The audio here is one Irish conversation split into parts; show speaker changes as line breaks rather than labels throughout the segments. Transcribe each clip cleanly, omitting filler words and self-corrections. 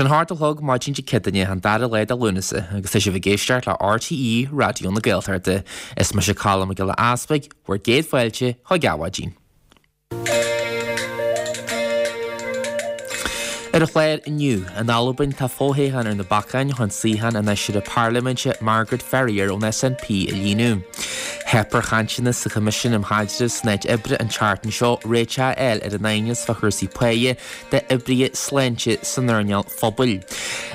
Tá sé an hocht a chlog maidin Dé Céadaoine, an dara lá de Lúnasa, agus tá sibh ag éisteacht le RTÉ Raidió na Gaeltachta. Is mise Colm Mac Giolla Easpaig, bhur gcéad fáilte chuig Adhmhaidin. Ar an chlár inniu, in Albain tá fothoghchán ar na bacáin chun suíochán an fheisire parlaiminte Margaret Ferrier ón SNP a líonadh. Theip ar chainteanna sa Choimisiún um Chaidreamh san Áit Oibre an tseachtain seo réiteach a fháil ar an aighneas fá chúrsaí páighe d'oibrithe sláinte san earnáil phobail.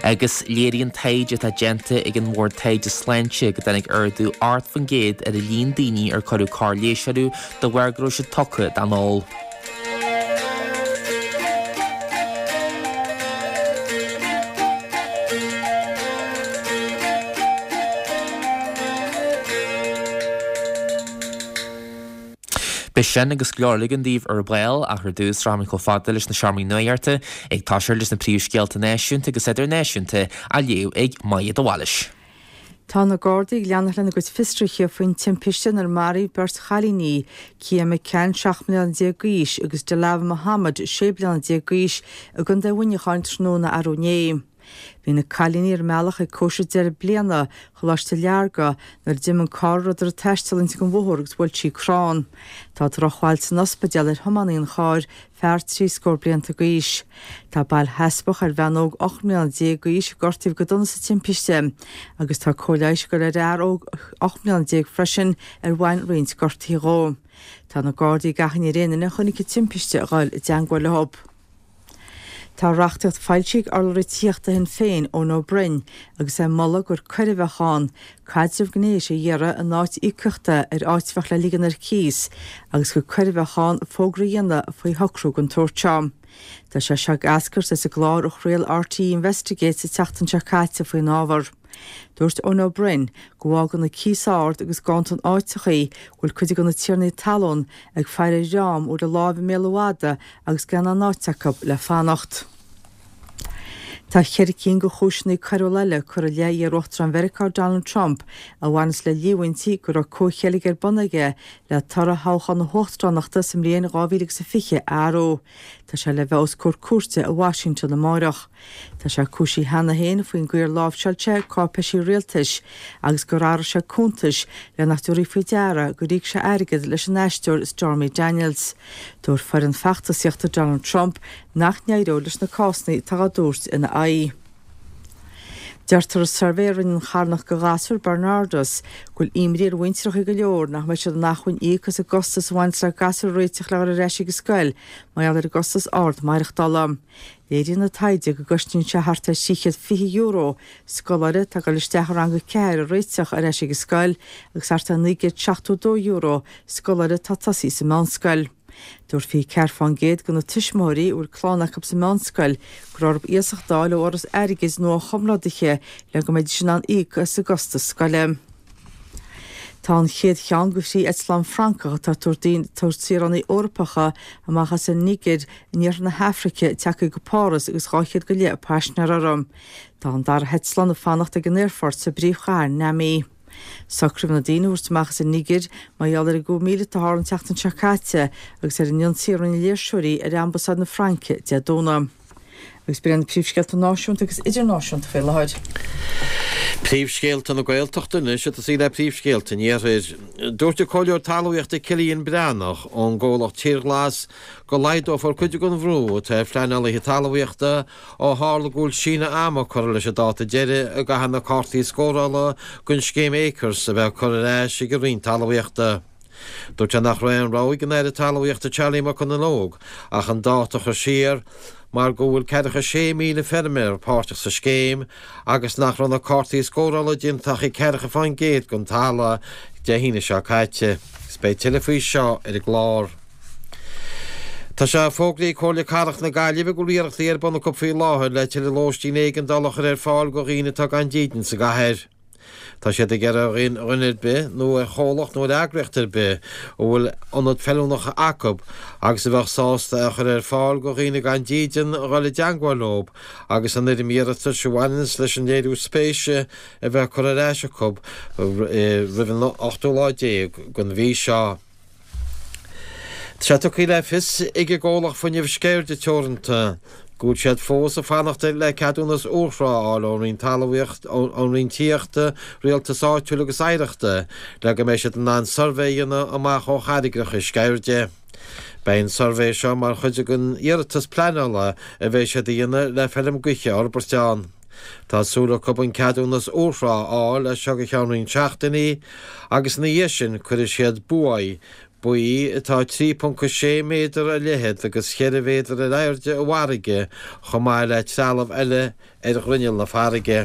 Agus léiríonn taighde atá déanta ag an mBord Taighde Sláinte go dtáinig ardú 8% ar an líon daoine ar cuireadh cóir leighis orthu de bharr go raibh siad tugtha don ól. Beidh sin agus go leor eile againn daoibh ar ball ach ar dtús rachaimid chomh fada leis na seomraí nuachta ag toiseacht leis na príomhscéalta náisiúnta agus idirnáisiúnta á léamh ag Maja de Bhailís.
Tá na Gardaí ag leanacht lena gcuid fiosruithe faoin timpiste inar maraíodh beirt chailíní, Kia McCann, 17 mbliana d'aois, agus Dealava Muhammad, 16 bliana d'aois, i gContae Mhuineacháin tráthnóna arú inné. Bhí na cailíní ar a mbealach ag cóisir deireadh bliana Choláiste Learga nuair a d'imigh an carr a rabhadar ag taisteal inti den bhóthar agus bhuail sí crann. Tá drochbhail san ospidéal ar thiománaí an chairr, fear trí scór blianta d'aois. Tá bail sheasmhach ar bhean óg 18 mbliana d'aois a gortaíodh go dona sa timpiste agus tá cóir leighis ag dul ar fhear óg 18 mbliana freisin ar bhain roinnt gortuithe dhó. Tá na Gardaí ag achainí ar aon duine a chonaic an timpiste a dhul i dteangmháil leo. Tá reachtaíocht foilsithe ag urlabhraí tithíochta Shinn Féin, Eoin Ó Broin, agus é ag moladh gur coir a bheadh ann caidreamh gnéis a iarraidh in áit íocaíochta ar áit a bheadh le ligean ar cíos agus gur coir a bheadh ann fógra a dhéanamh faoi shocrú den tsórt seo. Tá sé seo ag eascairt as an gclár a chraol RTÉ Investigates an tseachtain seo caite faoin ábhar. Dúirt Eoin Ó Broin go bhfágann an cíos ard agus ganntan áiteachaí go bhfuil cuid de na tiarnaí talún ag faire ar dhream a bhfuil a láimh i mbéal an mhada agus gan aon áit acu le fanacht. Tá cheithre cinn de chúiseanna coiriúla eile curtha i leith iar-Uachtarán Mheiriceá Donald Trump a bhaineas le líomhaintí go raibh comhcheilg ar bun aige le toradh thoghchán na huachtaránachta sa mbliain 2020 a athrú. Tá sé le bheith os comhair cúirte i Washington amáireach. Tá sé cúisithe cheana féin faoin gcaoi ar láimhseáil sé cáipéisí rialtais agus gur athraigh sé cuntais le nach dtabharfaí faoi deara gur íoc sé airgead leis an aisteoir Stormy Daniels. Dúirt foireann feachtasaíochta Donald Trump nach n-éireodh leis na cásanna atá á dtabhairt ina aghaidh. Deirtear i suirbhé a rinne an charthanacht do ghasúir Barnardos go bhfuil imní ar mhuintreacha go leor nach mbeidh siad in acmhainn íoc as an gcostas a bhaineas le gasúir a réiteach le dhul ar ais ag an scoil mar gheall ar an gcostas ard maireachtála. Léiríonn an taighde go gcosnaíonn sé thart ar €320 scoláire atá ag dul isteach i rang a 4 a réiteach ar ais ag an scoil agus thart ar €972 scoláire atá tosaithe sa mheánscoil. Dúirt 24% de na tuismitheoirí a bhfuil clann acu sa mheánscoil go raibh orthu iasacht a fháil ó fhoras airgid nó ó chomrádaithe le go mbeidís in ann íoc as a gcostas scoile. Tá an chéad cheann de thrí eitleán Francach atá ag tabhairt saoránaigh Eorpacha amach as an Nigéir in iarthar na hAfraice tagtha go Páras agus 200 go leith paisinéir orthu. Tá an dara heitleán ag fanacht ag an aerfort sa bpríomhchathair Niamey. Socraíodh na daoine a thabhairt amach as an Nigéir mar gheall ar an gcoup míleata a tharla an tseachtain seo caite agus ar an ionsaí a rinne léirseoirí ar ambasáid na Fraince Dé Domhnaigh. Agus b'in iad na príomhscéalta náisiúnta agus idirnáisiúnta faoi láthair.
Príomhscéalta na Gaeltachta anois ag tosaí le príomhscéalta an Iarthair. Dúirt an Comhairleoir Talmhaíochta Cillian Breathnach ón gcomhlacht Tír Ghlas go laghdófar cuid den bhrú atá ar phleanálaithe talmhaíochta ó tharla go bhfuil síneadh ama curtha leis an dáta deiridh a gcaithfidh na cártaí scórála don scéim Acres a bheith curtha ar ais ag an Roinn Talmhaíochta. Dúirt sé nach raibh aon rogha ag an Aire Talmhaíochta Charlie McConalogue ach an dáta a chur siar mar go bhfuil ceathracha 6,000 feirmeoir páirteach sa scéim agus nach raibh na cártaí scórála déanta ach ag ceathracha fán gcéad den talamh Dé hAoine seo caite. Agus beidh tuilleadh faoi seo ar an gclár. Tá sé fógraithe ag Comhairle Cathrach na Gaillimhe go bhfuil iarrachtaí ar bun acu faoi láthair le tuilleadh lóistín éigeandála a chur ar fáil do dhaoine atá gan dídean sa gcathair. Tá siad ag iarraidh ar dhuine ar bith nó ar chomhlacht nó ar eagraíocht ar bith a bhfuil ionad feiliúnach acu agus a bheadh sásta é a chur ar fáil do dhaoine gan dídean a dhul i dteangmháil leo agus an fhoirm iarratais a bhaineanns leis an léiriú spéise a bheith curtha ar ais acu roimh an ochtú lá déag den mhí seo. Tá sé tugtha le fios ag an gcomhlacht fuinnimh Sceirde Teoranta. Go bhfuil siad fós ag fanacht le ceadúnas urthrá a fháil ón Roinn Talmhaíocht, ón Roinn Tithíochta, Rialtais Áitiúil agus Oidhreachta le go mbeidh siad in ann suirbhé a dhéanamh amach ó charraigreacha Sceirde. Beidh an suirbhé seo mar chuid den iarratas pleanála a bheidh siad a dhéanamh le feilm gaoithe a fhorbairt ann. Tá súil acu an ceadúnas urthrá a fháil as seo go ceann roinnt seachtainí agus ina dhiaidh sin cuirfidh siad buaidh Baoi atá 3.6 méadar ar leithead agus cheithre mhéadar ar airde i bhfarraige chomh maith le trealamh eile ar ghrinneall na farraige.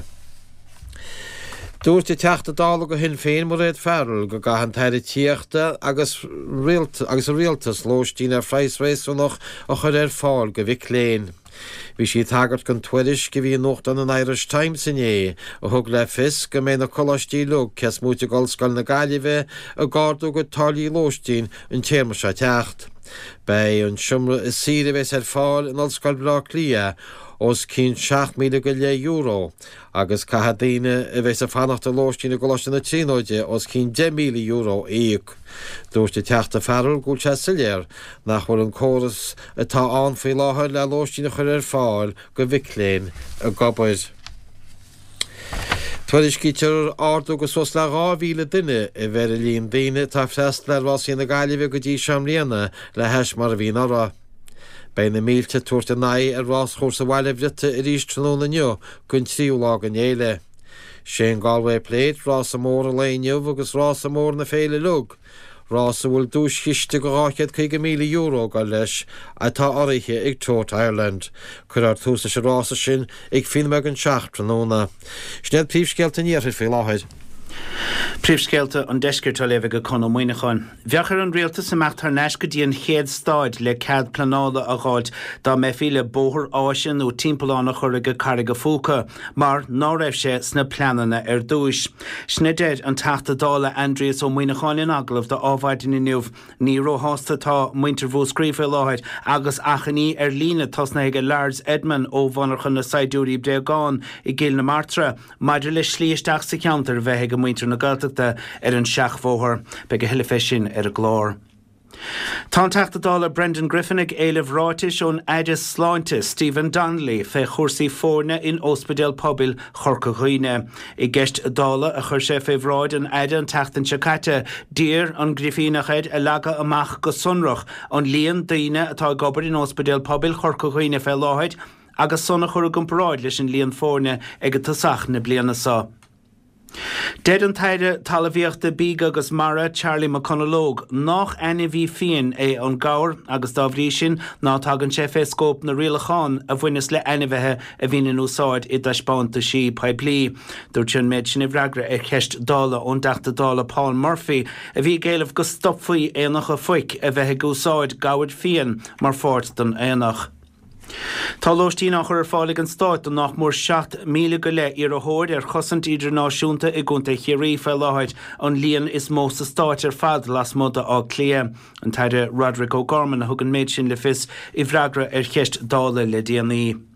Dúirt an Teachta Dála do Shinn Féin Mairéad Farrell go gcaithfidh an tAire Tithíochta agus agus an Rialtas lóistín ar phraghas réasúnach a chur ar fáil do mhic léinn. Bhí sí ag tagairt don tuairisc a bhí i nuachtán an Irish Times inné a thug le fios go mbeidh na coláistí uilig cé is móite d'Ollscoil na Gaillimhe ag ardú a gcuid táillí lóistín an téarma seo ag teacht. Beidh an seomra is saoire a bheas ar fáil in Ollscoil Bhaile Átha Cliath os cionn €7,000 go leith agus caithfidh daoine a bheas ag fanacht i lóistín i gColáiste na Tríonóide os cionn €10,000 a íoc. Dúirt an Teachta Farrell go bhfuil sé soiléir nach bhfuil an córas atá ann faoi láthair le lóistín a chur ar fáil do mhic léinn ag obair. Tuairiscítear ardú de suas le 2,000 duine a bheith ar an líon daoine atá ag freastal ar Rásaí na Gaillimhe go dtí seo i mbliana le hais mar a bhí anuraidh. Beidh na mílte ag tabhairt a n-aghaidh ar ráschúrsa Bhaile Bhriotaigh arís tráthnóna inniu don tríú lá den fhéile. Sé an Galway Plate rása mór an lae inniu agus rása mór na féile uilig, rás a bhfuil duaischiste de €250,000 ag dul leis atá urraithe ag Tote Ireland. Cuirfear tús leis an rása sin ag fiche nóiméad don seacht tráthnóna. Sin iad príomhscéalta an iarthair faoi láthair.
Príomhscéalta an Deiscirt á léamh ag Conn Ó Muíneacháin. Bheadh ar an Rialtas imeacht thar n-ais go dtí an chéad staid le cead pleanála a dh'fháilt dá mbeifí le bóthar áise nó timpeallán a chur ag Carraig a' Phúca mar ná raibh sé sna pleananna ar dtúis. Sin a deir an Teachta Dála Aindrias Ó Muíneacháin in agallamh do Adhmhaidin inniu. Ní róshásta atá muintir Mhúscraí faoi láthair agus achainí ar líne tosnaithe ag Lars Edman ó mhonarcha na saighdiúirí bréagán i gCill na Martra. Maidir le slí isteach sa cheantar a bheith ag muintir na Gaeltachta ar an seachbhóthar, beidh a thuilleadh fé sin ar an gclár. Tá an Teachta Dála Brendan Griffin ag éileamh ráitis ón Aire Sláinte Stephen Donnelly fé chúrsaí foirne in Óspidéal Pobail Chorca Dhuibhne. I gceist Dála a chuir sé fé bhráid an Aire an tseachtain seo caite, d'iarr an Grifíneach air a leagadh amach go sonrach an líon daoine atá ag obair in Óspidéal Pobail Chorca Dhuibhne fé láthair agus san a chur i gcomparáid leis an líon foirne ag tosach na bliana seo. Deir an tAire Talmhaíochta, Bídh agus Mara, Charlie McConalogue, nách ainmhí fiain é an gabhar agus dá bhrí sin ná tagann sé fé scóip na rialachán a bhaineas le ainmhithe a bhíonn in úsáid i dtaispeántaisí poiblí. Dúirt sé an méid sin i bhfreagra ar cheist Dála ón dTeachta Dála Paul Murphy a bhí ag éileamh go stopfaí aonacha phoic a bheith ag úsáid gabhair fiain mar pháirt den aonach. Tá lóistín á chur ar fáil ag an Stát do nách mór 7,000 go leith iarrthóir ar chosaint idirnáisiúnta i gContae Chiarraí faoi láthair, an líon is mó sa Stáit ar fad lasmuigh de Áth Cliath. An tAire Roderic O'Gorman a thug an méid sin le fios i bhfreagra ar cheist Dála le déanaí.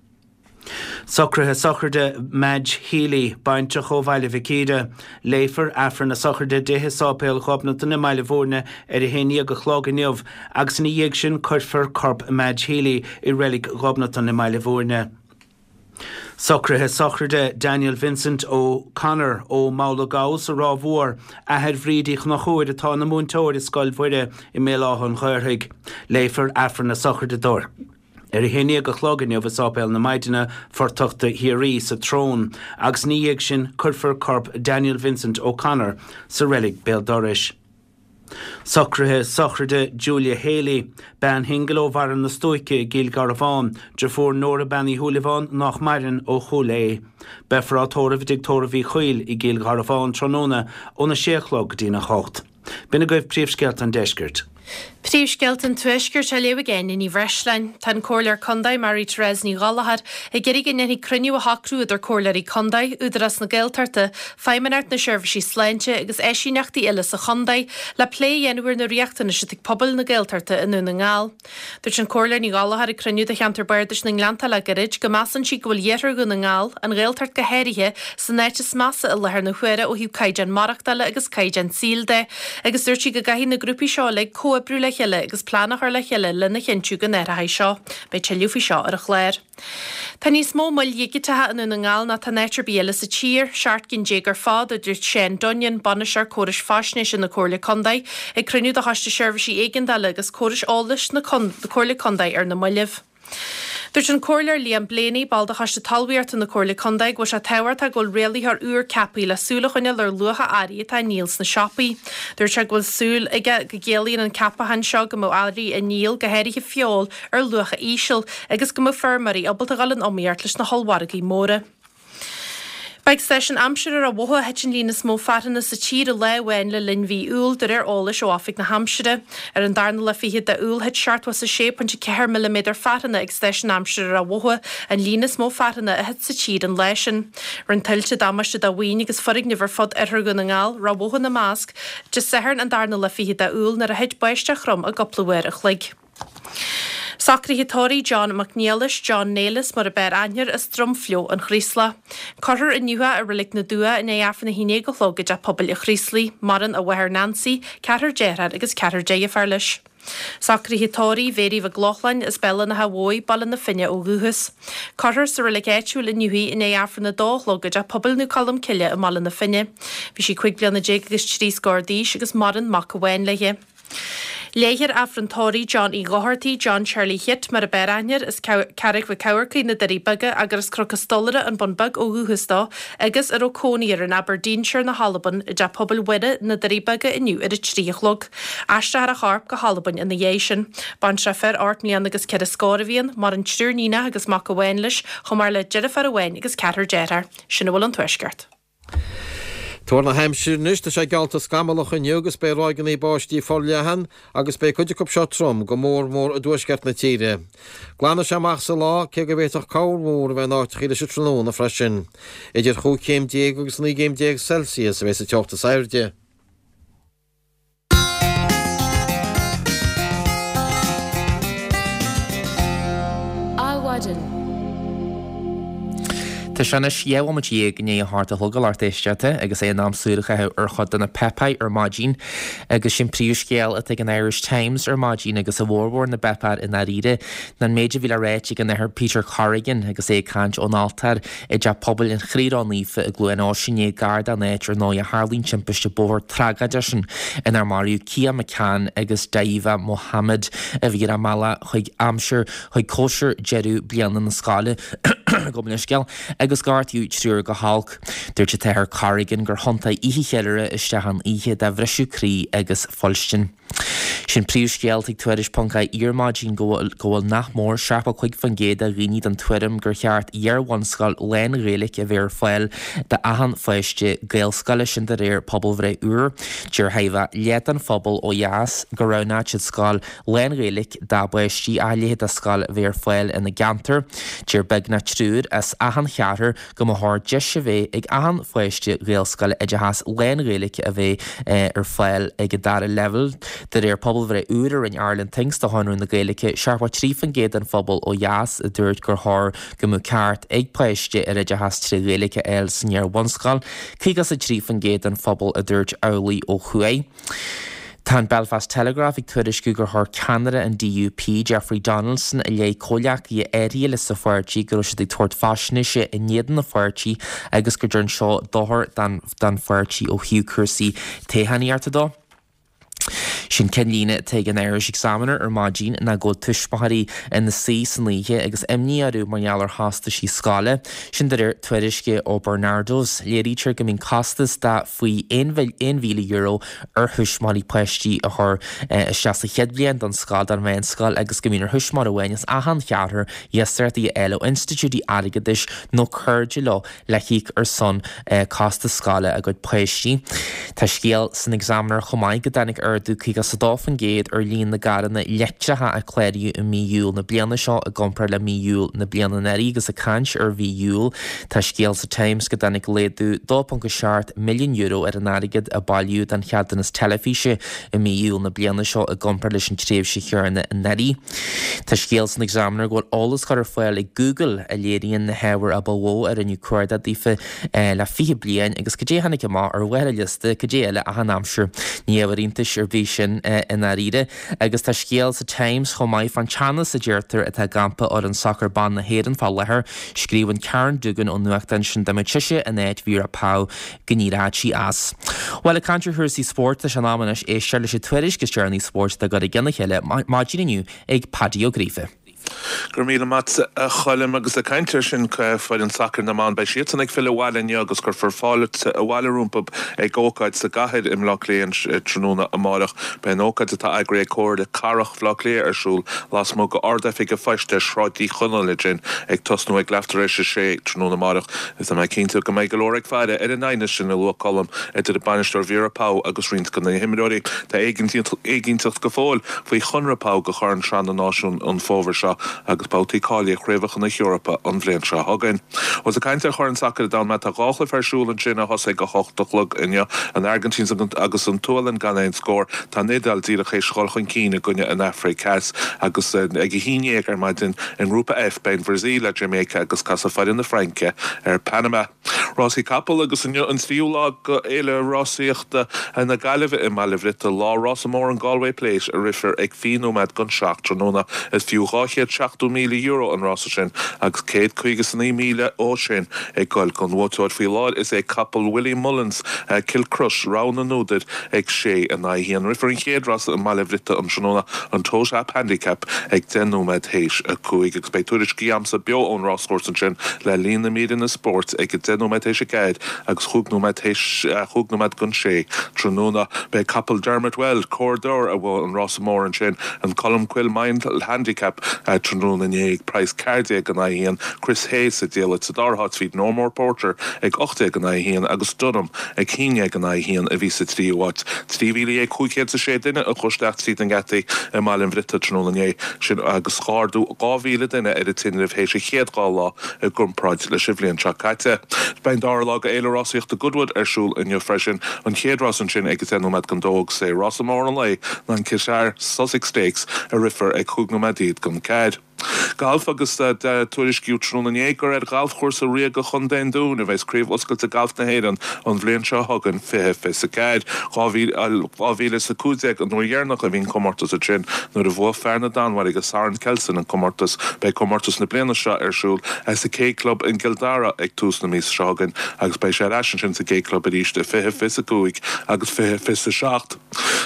Socruithe sochraide Madge Healy, baintreach ó Bhaile Mhic Íre. Léifear Aifreann na sochraide di i Sáipéal Ghobnatan i mBaile Bhúirne ar a haon dhéag a chlog inniu agus ina dhiaidh sin cuirfear corp Madge Healy i Reilig Ghobnatan i mBaile Bhúirne. Socruithe sochraide Daniel Vincent O Connor ó Mhabhla Gabha sa Ráth Mhór, athair Bhríd Uí Chonchúir atá ina múinteoir i Scoil Mhuire i mBéal Átha an Ghaorthaidh. Léifear Aifreann na sochraide dó ar a haon dhéag a chlog inniu i Sáipéal na Maighdine, Fortachta Chiarraí, sa tSrón, agus ina dhiaidh sin cuirfear corp Daniel Vincent O'Connor sa reilig béal dorais. Socruithe sochraide Julia Haley, bean shingil ó Bharra na Stuaice i gCill Gharbháin, deirfiúr Nóra Bean Uí Shúilleabháin nách maireann ó Chúil Aodha. Beifear á tórramh i dTigh Tórraimh Uí Chuill i gCill Gharbháin tráthnóna óna sé a chlog go dtína hocht. B'in agaibh príomhscéalta an deiscirt.
Príomhscéalta an Tuaiscirt á léamh ag Áine Ní Bhreisleáin. Tá an Comhairleoir Contae Mary Therese Ní Ghallchóir ag iarraidh go ndéanfaí cruinniú a shocrú idir Comhairleoirí Contae, Údarás na Gaeltachta, Feidhmeannacht na Seirbhísí Sláinte agus eisíneachtaí eile sa chontae le plé a dhéanamh ar na riachtanais atá ag pobail na Gaeltachta i nDún na nGall. Dúirt an Comhairleoir Ní Ghallchóir ag cruinniú de cheantar Bardais na nGleannta le gairid go measann sí go bhfuil iarthar Dhún na nGall, an Ghaeltacht go háirithe, san áit is measa i láthair na huaire ó thaobh caighdeán maireachtála agus caighdeán saoil de agus dúirt sí go gcaithfidh na grúpaí seo uilig comhoibriú. comhoibriú le chéile agus plean a chur le chéile lena chinntiú go n-athróidh seo. Beidh tuilleadh faoi seo ar an chlár. Tá níos mó moil dhigiteacha i nDún na nGall ná tá in áit ar bith eile sa tír, 17 gcinn ar fad, a dúirt Seán Dunnion, Bainisteoir Córais Faisnéise na Comhairle Contae, ag cruinniú de Choiste Seirbhísí Éigeandála agus Córais Eolais na Comhairle Contae ar na mallaibh. Dúirt an Comhairleoir Liam Blaney, ball de Choiste Talmhaíochta na Comhairle Contae, go bhfuil sé tábhachtach go bhfuil rialaitheoir úr ceaptha le súil a choinneáil ar luacha earraí atá á ndíol sna siopaí. Dúirt sé go bhfuil súil aige go gciallaíonn an ceapachán seo go mbeidh earraí á ndíol, go háirithe feoil, ar luacha íseal agus go mbeidh feirmeoirí ábalta a dhul in iomaíocht leis na hollmhargaí móra. Ba ag stáisiún aimsire Ráth Bhoth a thit an líon is mó fearthanna sa tír i lá amháin le linn mhí Iúil, de réir eolais ó Oifig na hAimsire. Ar an darna lá fichead de Iúil, thit 76.4 milliméadar fearthanna ag stáisiún aimsire Ráth Bhoth, an líon is mó fearthanna a thit sa tír an lá sin. Rinne tuilte damáiste do mhaoin agus foirgnimh ar fud oirthear Dhún na nGall, Ráth Bhoth ina measc, Dé Sathairn an darna lá fichead de Iúil nuair a thit báisteach throm i gcúpla uair a chloig. Socruithe tórraimh John Mac Niallais, John Nailis mar a b'fhearr aithne air, as Drumflió, an Chraoslaigh. Cuirfear inniu é i Reilig na dTuath i ndiaidh Aifreann a haon déag a chlog i dTeach Pobail an Chraoslaigh. Maireann a mháthair Nancy, ceathrar dearthár agus ceathrar deirféar leis. Socruithe tórraimh Mhéirí Mhic Lochlainn as Béal an Átha Bhuí, Baile na Finne ó dhúchas. Cuirfear sa reilig áitiúil inniu í i ndiaidh Aifreann a dó a chlog i dTeach Pobail Naomh Colm Cille i mBaile na Finne. Bhí sí 15 bliana agus trí scór d'aois agus maireann mac amháin léi. Léifear Aifreann Tórraimh John Uí Dhochartaigh, John Charlie Chit mar a b'fhearr aithne air, as Carraig Mhic Eamharcaigh, Na Doirí Beaga, gur as Cnoc an Stolaire, An Bun Beag ó dhúchas dó agus a raibh cónaí air in Aberdeenshire na hAlban, i dTeach Pobail Mhuire, Na Doirí Beaga inniu ar a 3 a chlog. Aistreofar a chorp go hAlbain ina dhiaidh sin. Baintreach fir 8 mbliana agus ceithre scór a bhí ann, maireann triúr níonach agus mac amháin leis, chomh maith le deirfiúr amháin agus ceathrar dearthár. Sin a bhfuil ón Tuaisceart.
Tuar na haimsire anois, tá sé geallta scamallach inniu agus beidh ráigeanna báistí forleathan agus beidh cuid acu seo trom, go mór mór i dtuaisceart na tíre. Glanfaidh sé amach sa lá, cé go bhféadfadh corrmhúr a bheith in áiteachaí leis an tráthnóna freisin. Idir chúig chéim déag agus naoi gcéim déag Celsius a bheidh sa teocht is airde.
Adhmhaidin. Tá sé anois 12 bhomaite i ndiaidh a hocht a chlog a lucht éisteachta agus é in am súil a chaitheamh ar chuid de na páipéir ar maidin agus sin príomhscéal atá ag an Irish Times ar maidin agus i bhformhór na bpáipéar i ndáiríre ná an méid a bhí le ráit ag an Athair Peter Corrigan agus é ag caint ón altóir i dTeach Pobail an Chroí Ró-Naofa i gCluain Eois inné gar don áit ar ndóigh a tharla an timpiste bóthair tragóideach sin inar maraíodh Kia McCann agus Daiva Mohammed a bhí ar a mbealach chuig aimsir chuig cóisir deireadh bliana na scoile gabh mo leithscéal agus gortaíodh triúr go holc. Dúirt an tAthair Corrigan gur thiontaigh oíche cheiliúrtha isteach in oíche de bhriseadh croí agus fuilstin. Sin príomhscéal ag Tuairisc ponc ie ar maidin go bhfuil go bhfuil nach mór 75% de dhaoine den tuairim gur cheart iar-bhunscoil lán-Ghaeilge a bheith ar fáil d'achan pháiste Gaelscoile, sin de réir pobalbhreith úr. Deir chóir a bheith leath den phobal ó dheas go roghnódh siad scoil lán-Ghaeilge dá bpáistí ach a leithéid de scoil a bheith ar fáil ina gceantar. Deir beagnach triúr as achan cheathrar go mba chóir deis a bheith ag achan pháiste Ghaelscoile oideachas lán-Ghaeilge a bheith ar fáil ag an dara leibhéal. De réir pobalbhreith úr a rinne Ireland Thinks do Chonradh na Gaeilge, 73% den phobal ó dheas a dúirt gur chóir go mbeadh ceart ag páiste ar oideachas tré Ghaeilge a fháil san iar-bhunscoil, 53% den phobal a dúirt amhlaidh ó thuaidh. Tá an Belfast Telegraph ag tuairisciú gur chuir ceannaire an DUP, Jeffrey Donaldson, i leith comhghleacaithe áirithe leis sa pháirtí go raibh siad ag tabhairt faisnéise in éadan an pháirtí agus go dtearn seo dochar don pháirtí ó thaobh cúrsaí toghchánaíochta dó. Sin ceannlíne atá ag an Irish Examiner ar maidin ná go bhfuil tuismitheoirí ina suí san oíche agus imní orthu mar gheall ar chostaisí scoile. Sin de réir tuairisce ó Barnardos. Léirítear go mbíonn costas de faoi €1,000 ar thuismitheoirí páistí a chur isteach sa chéad bhliain don scoil, don mheánscoil agus go mbíonn ar thuismitheoir amháin as achan cheathrar iasachtaí a fháil ó institiúidí airgeadais nó cairde leo le híoc ar son costas scoile a gcuid páistí. Tá scéal san Examiner chomh maith go dtáinig ardú 52% ar líon na gcarranna leictreacha a cláraíodh i mí Iúil na bliana seo i gcomparáid le mí Iúil na bliana anuraidh agus ag caint ar mhí Iúil tá scéal sa Times go dtáinig laghdú €2.7 milliún ar an airgead a bailíodh don cheadúnas teilifíse i mí Iúil na bliana seo i gcomparáid leis an tréimhse chéanna anuraidh. Tá scéal san Examiner go bhfuil eolas curtha ar fáil ag Google a léiríonn na hábhair a ba mhó a rinneadh cuardach daofa le 20 bliain agus cad é a tháinig amach ar bharr an liosta, cad é eile ach an aimsir. Ní ábhar iontais ar bith sin. sin i ndáiríre. Agus tá scéal sa Times chomh maith fán teannas a deirtear atá i gcampa fhoireann sacair ban na hÉireann fá láthair. Scríobhann Karen Duggan ón nuachtán sin dá mbeadh sise in áit Vera Pauw go n-éireodh sí as. Bhuel, ag caint ar chúrsaí spóirt, tá sé in am anois éisteacht leis an tuairisc is deireanaí spóirt atá curtha i gcionn a chéile maidin inniu ag Paddy Ó Gríofa.
Go raibh míle maith a Choilm. Agus ag caint air sin, foireann sacair na mban, beidh siadsan ag filleadh abhaile inniu agus cuirfear fáilte abhaile rompu ag ócáid sa gcathair i mBleá Cliath tráthnóna amáireach. Beidh an ócáid atá eagraithe ag Comhairle Cathrach Bhaile Átha Cliath ar siúl lasmuigh de Ard-Oifig an Phoist ar Shráid Uí Chonaill ansin ag tosnú ag leath tar éis a sé tráthnóna amáireach. Is tá mé cinnte go mbeidh go leor ag faire ar an aighneas sin a luaigh Colm idir an bainisteoir Vera Pauw agus roinnt de na himreoirí. Tá éiginnteacht go fóill faoi chonradh Pauw do Chorn Sraith na Náisiún an fómhar seo agus babhtaí cáilithe Chraobhacha na hEorpa an bhliain seo chugainn. Ós ag caint ar Chorn Sacair an Domhain mé, tá 2 chluiche ar siúl ansin a thosaigh ag 8 a chlog inniu, an Airgintín agus an tSualainn gan aon scór. Tá an Iodáil díreach théis dhul chun cinn i gcoinne an Afraic Theas agus ag a haon dhéag ar maidin i nGrúpa F beidh an Bhrasaíl le Jamaica agus casfaidh foireann na Fraince ar Panama. Rásaí capall agus inniu an tríú lá de Fhéile Rásaíochta na Gaillimhe i mBaile Bhriotail, lá rása mór an Galway Plate a rithfear ag 20 nóiméad don seacht tráthnóna. Is fiú €270,000 an rása sin agus 159,000 dhó sin ag goil don bhuaiteoir. Faoi láthair is é capall Willie Mullins, Kilcruit, rogha na n-údar ag 6 in aghaidh 1. Rithfear an chéad rása i mBaile Bhriotail an tráthnóna, an Tote App Handicap, ag 10 nóiméad théis 5 agus beidh tuairiscí a'msa beo ón ráschúrsa ansin le linn na míreanna spóirt ag 10 nóiméad théis 4 agus chúig nóiméad théis chúig nóiméad don sé tráthnóna. Beidh capall Dermot Weld, Cor D'Or, a bhuaigh an rása mór ansin, an Colmcille Mile Handicap, tráthnóna inné ag praghas 14 in aghaidh 1, Chris Hayes sa diallait sa dara háit, bhí No More Porter ag 18 in aghaidh 1 agus Dunham ag 11 in aghaidh 1 a bhí sa tríú háit. 13,506 duine a chuaigh isteach tríd na geataí i mBaile an Bhriotaigh tráthnóna inné, sin agus ardú 2,000 duine ar an tinreamh théis an chéad dhá lá i gcomparáid leis an bhliain seo caite. Beidh an dara lá de Fhéile Rásaíochta Goodwood ar siúl inniu freisin, an chéad rás ansin ag 10 nóiméad don dó agus is é rása mór an lae ná an Qatar Sussex Stakes a rithfear ag 15 nóiméad don ceathair. Galf agus tuairiscíodh tráthnóna inné gur ar Ghalfchúrsa Ríoga Chontae an Dúin a bheas Craobh Oscailte Gailf na hÉireann an bhliain seo chugainn, 2024. 2015 an uair dheireanach a bhí an comórtas ansin nuair a bhuaigh fear na Danmhairge Soren Kjeldsen an comórtas. Beidh comórtas na bliana seo ar siúl sa K Club in gCill Dara ag tús na míosa seo chugainn agus beidh sé ar ais ansin sa K Club arís i 2025 agus 2027.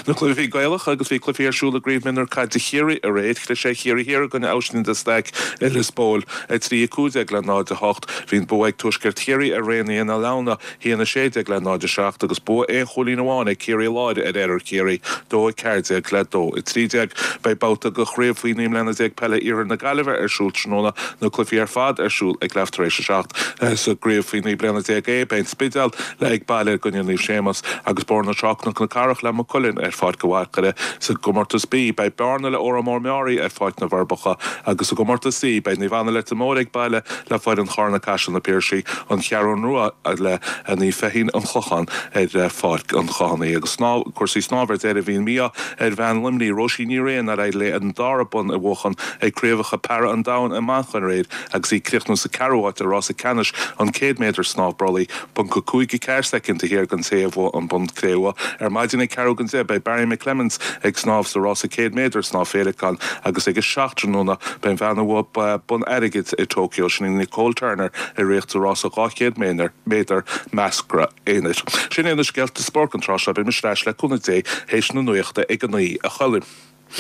Na cluichí Gaelacha agus bhí cluichí ar siúl i gCraobh Mionúr Caide Chiarraí aréir. Chlis ar Chiarraí Thiar i gcoinne Oisín de Staic i Lios Póil, 3, 15 le 0, 8. Bhí an bua ag Tuaisceart Chiarraí ar Raonaithe na Leamhna, 1, 16 le 0, 7 agus bua aon chúilín amháin ag Ciarraí Láir ar Oirthear Chiarraí, 2, 14 le 2, 13. Beidh babhta de Chraobh faoi 19 mbliana Peile Iarthar na Gaillimhe ar siúl tráthnóna, na cluichí ar fad ar siúl ag leath tar éis a seacht. Sa gCraobh faoi 19 bliana A, beidh an Spidéal le ag baile i gcoinne Naomh Séamas agus Bóthar na Trá Cnoc na Cathrach le Maigh Cuilinn ar Pháirc an Mhachaire. Sa gcomórtas B, beidh Bearna le Órán Mór Meáraí ar Pháirc na bhForbacha agus sa gcomórtas C, beidh Naomh Anna Leitir Móir ag baile le foireann Charna Caiseal Na Piarsaigh, An Cheathrún Rua le Naomh Feichín An Clochán ar Pháirc an Chathánaigh. Agus cúrsaí snámha ar deireadh, bhí an mí-ádh ar bhean Luimnigh, Róisín Ní Riain, ar éirigh léi an dara bonn a bhuachan ag Craobhacha Para an Domhain i Manchain aréir agus í ag críochnú sa ceathrú háit i rása ceannais an 100 méadar snámh brollaigh. Ponc 5 4 soicind thiar den té a bhuaigh an bonn cré-umha. Ar maidin ag ceathrú don deich beidh Barry McClements ag snámh sa rása 100 méadar snámh féileacáin agus ag a seacht tráthnóna beidh an bhean a bhuaigh bonn airgid i Tokyo, sin í Nicole Turner, ag rith sa rása 200 méadar measctha aonair. Sin iad na scéalta spóirt don tráth seo. Beidh mise ar ais le cúnamh Dé théis na nuachta ag a naoi a Choilm.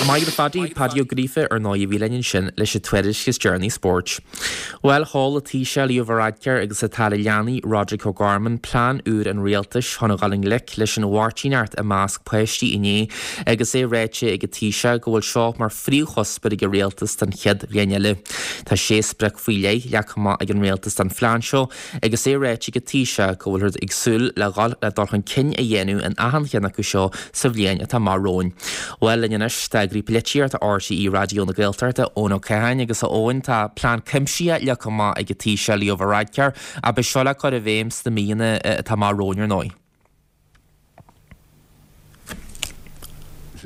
Maith agat a Phaddy, Paddy Ó Gríofa ar ndóigh a bhí linn ansin leis an tuairisc is deireanaí spóirt. Bhuel, sheol an Taoiseach Leo Varadkar agus an tAire Leanaí Roderic O'Gorman plean úr an rialtais chun a dhul i ngleic leis an mhairtíneacht i measc páistí inné agus é ráite ag an Taoiseach go bhfuil seo mar phríomhchuspóir ag an rialtas don chéad bhliain eile. Tá sé sprioc faoi leith leagtha amach ag an rialtas don phlean seo Agus é ráite ag an Taoiseach go bhfuilthear ag súil le dhul le dul chun cinn a dhéanamh in achan cheann acu seo sa bhliain atá amach romhainn. Bhuel, linn anois tá Eagraí Polaitíochta RTÉ Raidió na Gaeltachta, Eoin Ó Catháin, agus a Eoin, tá plean cuimsitheach leagtha amach ag an Taoiseach Leo Varadkar ach beidh seo le cur i bhfeidhm sna míonna atá amach romhainn ar ndóigh.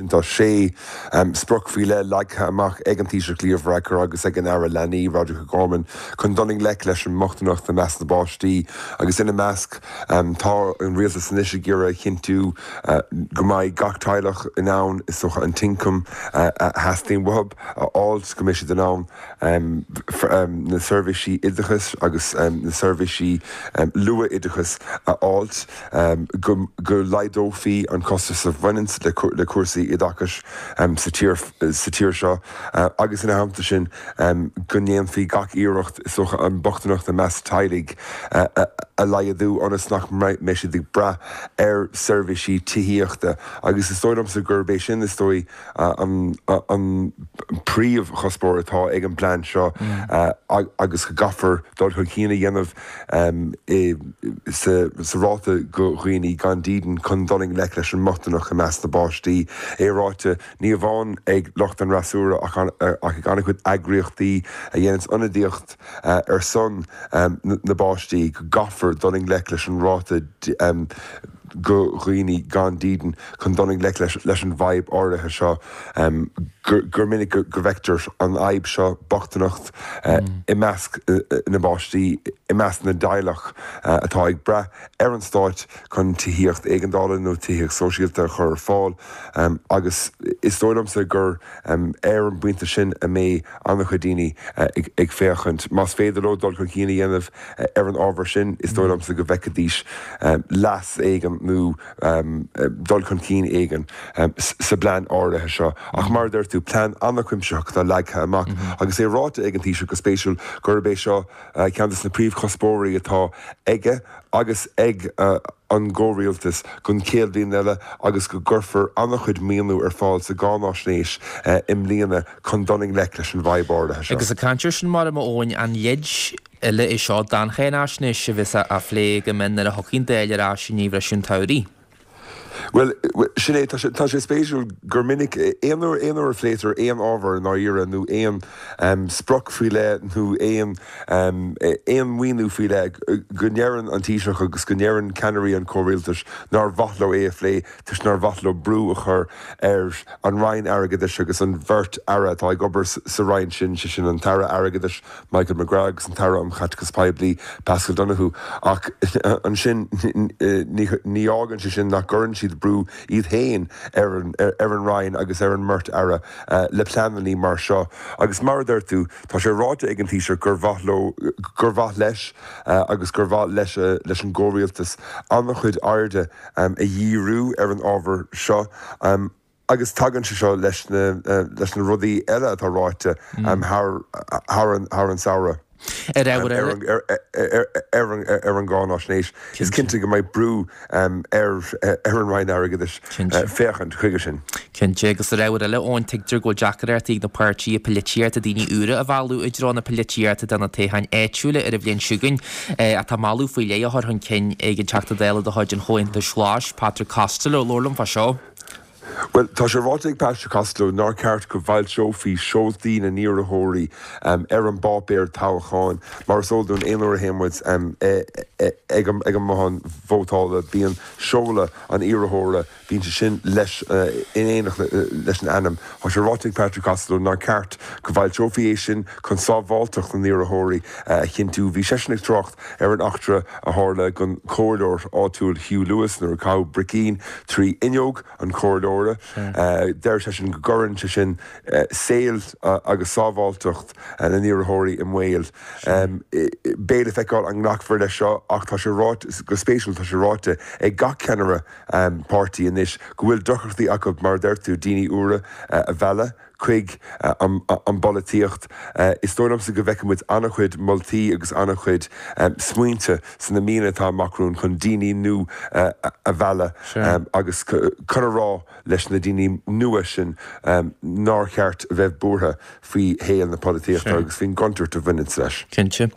sin, tá sé sprioc faoi leith leagtha amach ag an Taoiseach Leo Varadkar agus ag an Aire Leanaí, Roderic O'Gorman, chun dul i ngleic leis an mbochtaineacht i measc na bpáistí agus ina measc tá an rialtas anois ag iarraidh a chinntiú go mbeidh gach teaghlach in ann, is dócha, an t-ioncam a theastaíonn uathu a fháilt, go mbeidh siad in ann na seirbhísí oideachais agus na seirbhísí luath-oideachais a fháilt, go laghdófaí an costas a bhaineanns le cúrsaí oideachais sa tír seo agus ina theannta sin go ndéanfaí gach iarracht is dócha an bochtaineacht i measc teaghlaigh a laghdú ionas nach mbeidh siad ag brath ar seirbhísí tithíochta agus is dóigh liomsa gurb é sin is dóigh an príomhchuspóir atá ag an bplean seo agus go gcaithfear dul chun cinn a dhéanamh sa ráta go dhaoine gan dídean chun dul i ngleic leis an mbochtaineacht i measc na bpáistí. É ráite, ní amháin ag lucht an fhreasúra ach ag an-chuid eagraíochtaí a dhéananns ionadaíocht ar son na bpáistí go gcaithfear dul i ngleic leis an ráta go dhaoine gan dídean chun dul i ngleic leis an bhfadhb áirithe seo, gur minic go bhfeictear an fhadhb seo, bochtaineacht, i measc na bpáistí, i measc na dteaghlach atá ag brath ar an stáit chun tithíocht éigeandála nó tithíocht sóisialta a chur ar fáil agus is dóigh liomsa gur ar an bpointe sin a mbeidh an-chuid daoine ag féachaint. Más féidir leo dul chun cinn a dhéanamh ar an ábhar sin, is dóigh liomsa go bhfeicfidís leas éigin nó dul chun cinn éigin sa bplean áirithe seo. Ach mar a deir tú, plean an-chuimsitheach atá leagtha amach agus é ráite ag an Taoiseach go spéisiúil gurb é seo ceann de na príomhchuspóirí atá aige agus ag an gcomhrialtas don chéad bhliain eile agus go gcuirfear an-chuid maoiniú ar fáil sa gcáináisnéis i mbliana chun dul i ngleic leis an bhfadhb áirithe seo.
Agus ag caint air sin, mar a Eoin, an leid eile é seo don cháináisnéis a bheas á phlé go mion nuair a thiocfaidh an Dáil ar ais i ndiaidh bhriseadh an tsamhraidh.
Bhuel, sin é, tá sé, tá sé spéisiúil gur minic, aon uair, aon uair a phléitear aon ábhar i ndáiríre nó aon sprioc faoi leith nó aon, aon mhaoiniú faoi leith, go ndeireann an Taoiseach agus go ndeireann ceannairí an chomhrialtais nár mhaith leo é a phlé toisc nár mhaith leo brú a chur ar an Roinn Airgeadais agus an bheirt Aire atá ag obair sa Roinn sin, sé sin an tAire Airgeadais Michael McGrath agus an tAire um Chaiteachas Poiblí, Paschal Donohoe. Ach ansin, ní fhágann sé sin nach gcuireann siad brú iad féin ar an Roinn agus ar an mbeirt Aire le pleananna mar seo. Agus mar a deir tú, tá sé ráite ag an Taoiseach gur mhaith leo, gur mhaith leis agus gur mhaith leis leis an gcomhrialtas an-chuid airde a dhíriú ar an ábhar seo. Agus tagann sé seo leis na leis na rudaí eile atá ráite thar thar an thar an samhradh
Ar ábhar eile.
ar an ar an gcáináisnéis. Is cinnte go mbeidh brú ar ar an Roinn Airgeadais féachaint chuige sin.
Cinnte. Agus ar ábhar eile, Eoin, tuigtear go bhfuil deacaireachtaí ag na páirtithe polaitíochta daoine úra a mhealladh i dtreo na polaitíochta do na toghcháin áitiúla ar an bhliain seo chugainn. Tá moladh faoi leith á chur chun cinn ag an Teachta Dála de chuid an Chomhaontais Ghlais, Patrick Costello, labhair liom fá seo.
Bhuel, tá sé ráite ag Patrick Costello nár cheart go bhfoilseofaí seoltaí na n-iarrthóirí ar an bpáipéar toghcháin. Mar is eol dúinn, aon uair a théann muid ag an mbothán vótála, bíonn seoladh an iarrthóra, bíonn sé sin leis in éineacht leis an ainm. Tá sé ráite ag Patrick Costello nár cheart go bhfoilseofaí é sin chun sábháilteacht na n-iarrthóirí a chinntiú. Bhí seisean ag trácht ar an eachtra a tharla don chomhairleoir áitiúil Hugh Lewis nuair a caitheadh bricín trí fhuinneog an chomhairleora. Deir seisean go gcuireann sé sin saol agus sábháilteacht na n-iarrthóirí i mbaol. Beidh le feiceáil an nglacfar leis seo ach tá sé ráite, go spéisiúil, tá sé ráite ag gach ceannaire páirtí anois go bhfuil deacrachtaí acu, mar a deir tú, daoine úra a mhealladh. chuig an bpolaitíocht. Is dóigh liomsa go bhfeicfidh muid an-chuid moltaí agus an-chuid smaointe sna míonna atá amach romhainn chun daoine nua a mhealladh agus chun a rá leis na daoine nua sin nár cheart a bheith buartha faoi shaol na polaitíochta agus faoin gcontúirt a bhaineanns leis.
Cinnte.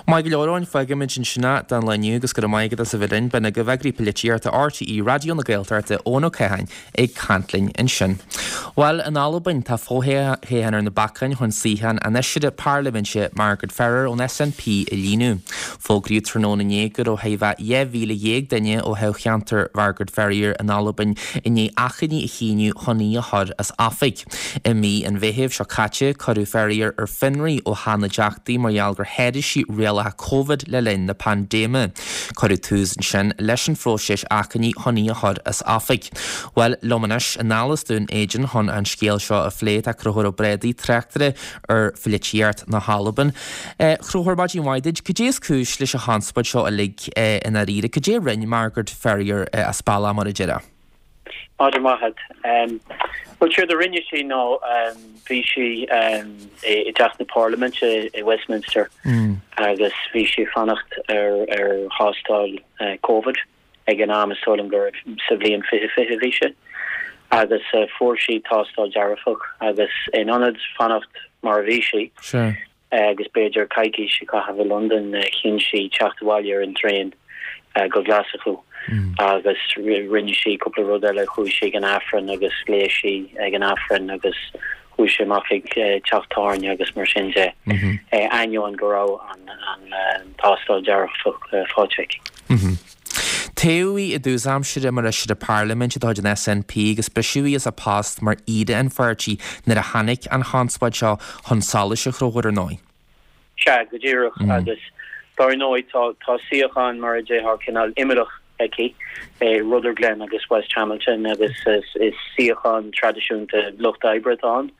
Maith go leor, Eoin, fágfaimid ansin é don lá inniu agus go raibh maith agat as a bheith linn. B'in agaibh Eagraí Polaitíochta RTÉ Raidió na Gaeltachta, Eoin Ó Catháin, ag caint linn ansin. Bhuel, in Albain, tá. fothoghchán ar na bacáin chun suíochán an Fheisire Parlaiminte Margaret Ferrier ón SNP a líonadh. Fógraíodh tráthnóna inné go raibh thart fá 12,000 duine ó thoghcheantar Mhargaret Ferrier in Albain i ndiaidh achainí a shíniú chun í a chur as oifig. I mí an Mheithimh seo caite, cuireadh Ferrier ar fionraí ó Theach na dTeachtaí mar gheall gur sháraigh sí rialacha Covid le linn na paindéime. Cuireadh tús ansin leis an phróiseas achainí chun í a chur as oifig. Bhuel, liom anois, anall as Dún Éideann chun an scéal seo a phlé, tá Conchúr Ó Brádaigh, tráchtaire ar pholaitíocht na hAlban. A Chonchúir, maidin mhaith duit. Cad é is cúis leis an chonspóid seo uilig i ndáiríre? Cad é a rinne Margaret Ferrier as bealach, mar a déarfá?
Maidin mhaith agat. Bhuel, séard a rinne sí ná bhí sí i dTeach na Parlaiminte i Westminster agus bhí sí ag fanacht ar thástáil Covid ag an am, is dóigh liom gur sa bhliain 2020 a bhí sé, agus fuair sí tástáil dearfach agus in ionad fanacht mar a bhí sí, agus b'fhéidir coicís a chaitheamh i Londain, chinn sí teacht abhaile ar an traein go Glaschú agus rinne sí cúpla rud eile, chuaigh sí ag an Aifreann agus léigh sí ag an Aifreann agus chuaigh sí amach ag teach tábhairne agus mar sin de, ainneoin go raibh an tástáil dearfach faighte aici.
Toghadh í i dtús aimsire mar fheisire parlaiminte de chuid an SNP agus briseadh í as a post mar aoire an pháirtí nuair a tháinig an chonspóid seo chun solais, a Chonchúir, ar ndóigh.
Sea, go díreach. Agus dar ndóigh tá tá suíochán mar a déarfá cineál imeallach aici i Rutherglen agus West Hamilton agus is suíochán traidisiúnta Lucht Oibre atá ann.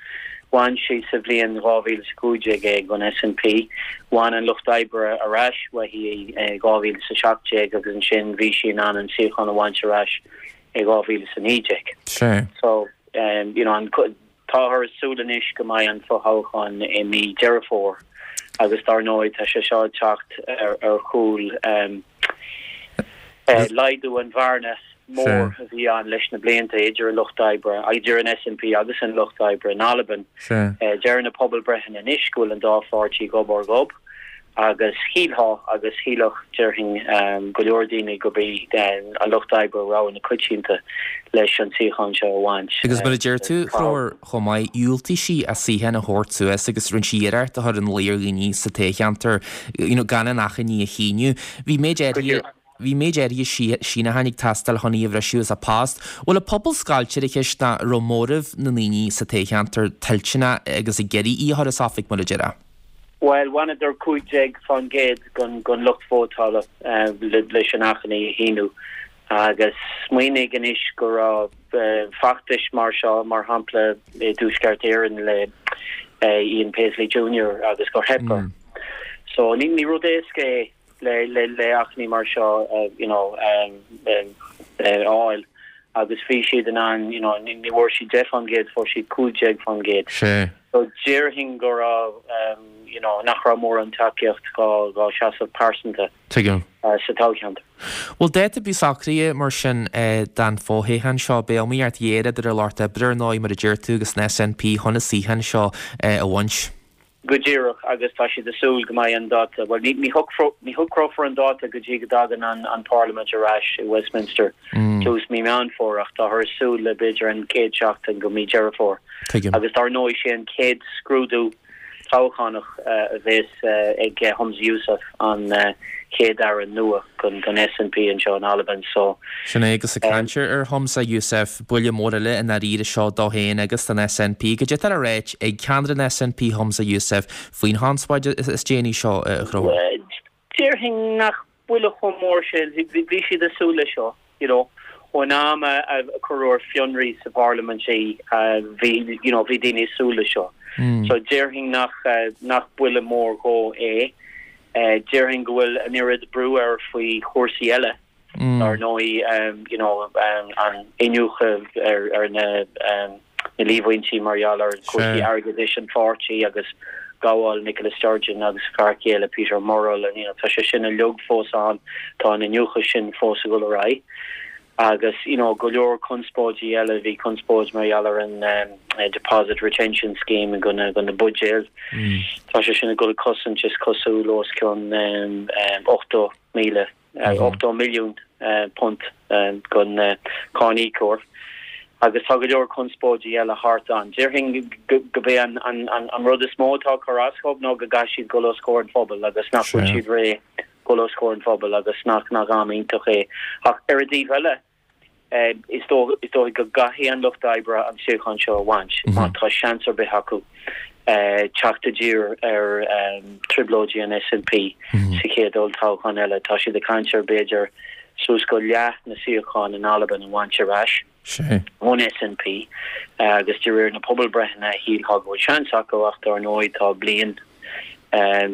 Bhain sí sa bhliain 2015 é don SNP. Bhain an Lucht Oibre ar ais uaithi é i 2017 agus ansin bhí sí in ann an suíochán a bhaint ar ais i 2019.
Sea.
So, you know, an, táthar ag súil anois go mbeidh an fothoghchán i mí Deireadh Fómhair agus dar ndóigh tá sé seo ag teacht ar, ar chúl um, Laghdú an bhearna mhór a bhí ann leis na blianta idir an Lucht Oibre, idir an SNP agus an Lucht Oibre in Albain. Deir na pobalbhreitheanna anois go bhfuil an dá pháirtí gob ar ghob agus shílfeá agus shílfeadh, déarfainn, go leor daoine gurb í an Lucht Oibre rogha na coitianta leis an suíochán seo a bhaint.
Agus mar a deir tú, a Chonchúir, chomh maith, dhiúltaigh sí a suíochán a thabhairt suas agus rinne sí iarracht a chur ina luí ar dhaoine sa toghcheantar you know gan an achainí a shíniú. Bhí méid áirithe bhí méid áirithe síneacháin ag teastáil chun í a bhriseadh as a post. Bhfuil an pobal scoilte ar an cheist nó an raibh móramh na ndaoine sa toghcheantar toilteanach agus ag iarraidh í a chur as oifig mar a déarfá?
Bhuel, bhaineadar 15% den lucht vótála leis an achainí a shíniú agus smaoinigh anois go raibh feachtais mar seo, mar shampla i dTuaisceart Éireann le Ian Paisley Junior agus gur theip air. So ní rud éasca é le achainí mar seo you know a fháil agus bhí siad in ann you know ní bhfuair siad 10%, fuair siad 15%.
Sea.
So déarfainn go raibh you know nach raibh mórán tacaíocht dhá seasamh pearsanta
Tuigim.
sa toghcheantar.
Bhuel, dáta ar bith socraithe mar sin don fhothoghchán seo. Beidh iomaíocht ghéar idir an Lucht Oibre, ar ndóigh, mar a deir tú, agus an SNP chun an suíochán seo a bhaint.
Go díreach, agus tá siad ag súil go mbeidh an dáta, bhuel, ní shocrófar an dáta go dtí go dtagann an Pharlaimint ar ais i Westminster tús mí Meán Fómhair, ach táthar ag súil le b'fhéidir an chéad seachtain go mí Deireadh Fómhair.
Tuigim.
Agus dar ndóigh, sé an chéad scrúdú toghchánach a bhéas ag Humza Yousaf, an Chéad-Aire nua don SNP anseo in Albain. So.
Sin é, agus ag caint ar Humza Yousaf, buille mór eile i ndáiríre seo dó féin agus don SNP. Cad é atá le ráit ag ceannaire an SNP Humza Yousaf faoin chonspóid is déanaí seo, a Chonchúir?
Déarfainn nach buille chomh mór sin, bhí siad ag súil leis seo, you know. Ón am a cuireadh ar fionraí sa bparlaimint í, bhí, you know, bhí daoine ag súil leis seo. So déarfainn nach, nach buille mór dhó é. Déarfainn go bhfuil an oiread brú air faoi chúrsaí eile, dar ndóigh, you know, an iniúchadh ar, ar na, na líomhaintí mar gheall ar chúrsaí airgeadais an pháirtí agus gabháil Nicola Sturgeon agus a fear céile Peter Murrell and you know tá sé sin uilig fós ann, tá an iniúchadh sin fós ag dul ar aghaidh. Agus you know go leor conspóidí eile, bhí conspóid mar gheall ar an Deposit Retention Scheme go na go na buidéil. Tá sé sin ag dul ag cosaint is cosúil os cionn 80,000 80 milliún punt don cáiníocóir. Agus tá go leor conspóidí eile thart ann. Déarfainn gurb é an rud is mó atá ag cur as dhóibh ná go gcaithfidh siad dul os comhair an phobail agus nach bhfuil siad réidh dul os comhair an phobail agus nach nach am iontach é. Ach ar an dtaobh eile, is dóigh go gcaithfidh an Lucht Oibre an suíochán seo a bhaint má tá seans ar bith acu teacht i dtír ar trioblóidí an SNP sa chéad olltoghchán eile. Tá siad ag caint ar b'fhéidir suas go leath na suíochán in Albain a bhaint ar ais ón SNP agus de réir na pobalbreitheanna shílfeá go bhfuil seans acu ach dar ndóigh tá bliain,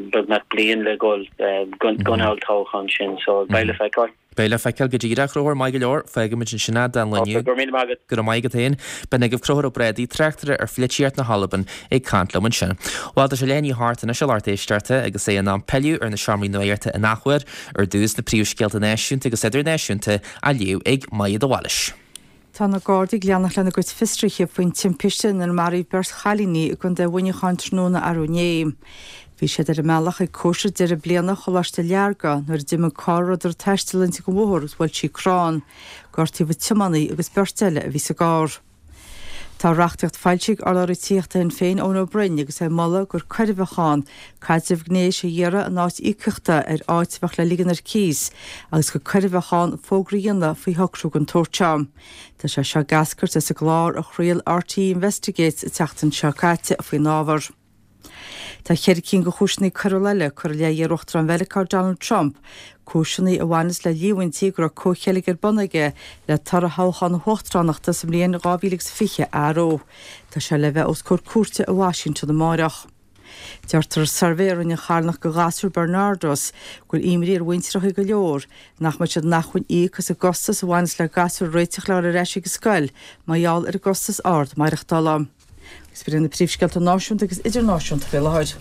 beagnach bliain le dhul don olltoghchán sin so beidh le feiceáil.
Beidh le feiceáil go díreach, a Chonchúir, maith go leor, fágfaimid ansin é don lá inniu.
Go raibh míle maith agat.
Go raibh maith agat féin. B'in agaibh Conchúr Ó Brádaigh, tráchtaire ar pholaitíocht na hAlban, ag caint liom ansin. Bhuel, tá sé leath i ndiaidh a hocht anois a lucht éisteachta agus é in am pilleadh ar na seomraí nuachta in athuair. Ar dtús, na príomhscéalta náisiúnta agus idirnáisiúnta á léamh ag Maija de Bhailís.
Tá na Gardaí ag leanacht lena gcuid fiosruithe faoin timpiste inar maraíodh beirt chailíní i gContae Mhuineacháin tráthnóna arú inné. Bhí siad ar a mbealach ag cóisir deireadh bliana Choláiste Learga nuair a d'imigh carr a rabhadar ag taisteal inti den bhóthar agus bhuail sí crann. Gortaíodh an tiománaí agus beirt eile a bhí sa gcarr. Tá reachtaíocht foilsithe ag urlabhraí tithíochta Shinn Féin Eoin Ó Broin agus é ag moladh gur coir a bheadh ann caidreamh gnéis a iarraidh in áit íocaíochta ar áit a bheadh le ligean ar cíos agus gur coir a bheadh ann fógra a dhéanamh faoi shocrú den tsórt seo. Tá sé seo ag eascairt as an gclár a chraol RTÉ Investigates an tseachtain seo caite faoin ábhar. Tá cheithre cinn de chúiseanna coiriúla eile curtha i leith iar-Uachtarán Mheiriceá Donald Trump, cúiseanna a bhaineas le líomhaintí go raibh comhcheilg ar bun aige le toradh thoghchán na huachtaránachta sa mbliain 2020 a athrú. Tá sé le bheith os comhair cúirte i Washington amáireach. Deirtear i suirbhé a rinne an charthanacht do ghasúir Barnardos go bhfuil imní ar mhuintreacha go leor nach mbeidh siad in acmhainn íoc as an gcostas a bhaineas le gasúir a réiteach le dhul ar ais ag an scoil mar gheall ar an gcostas ard maireachtála. Agus b'in iad na príomhscéalta náisiúnta agus idirnáisiúnta faoi láthair.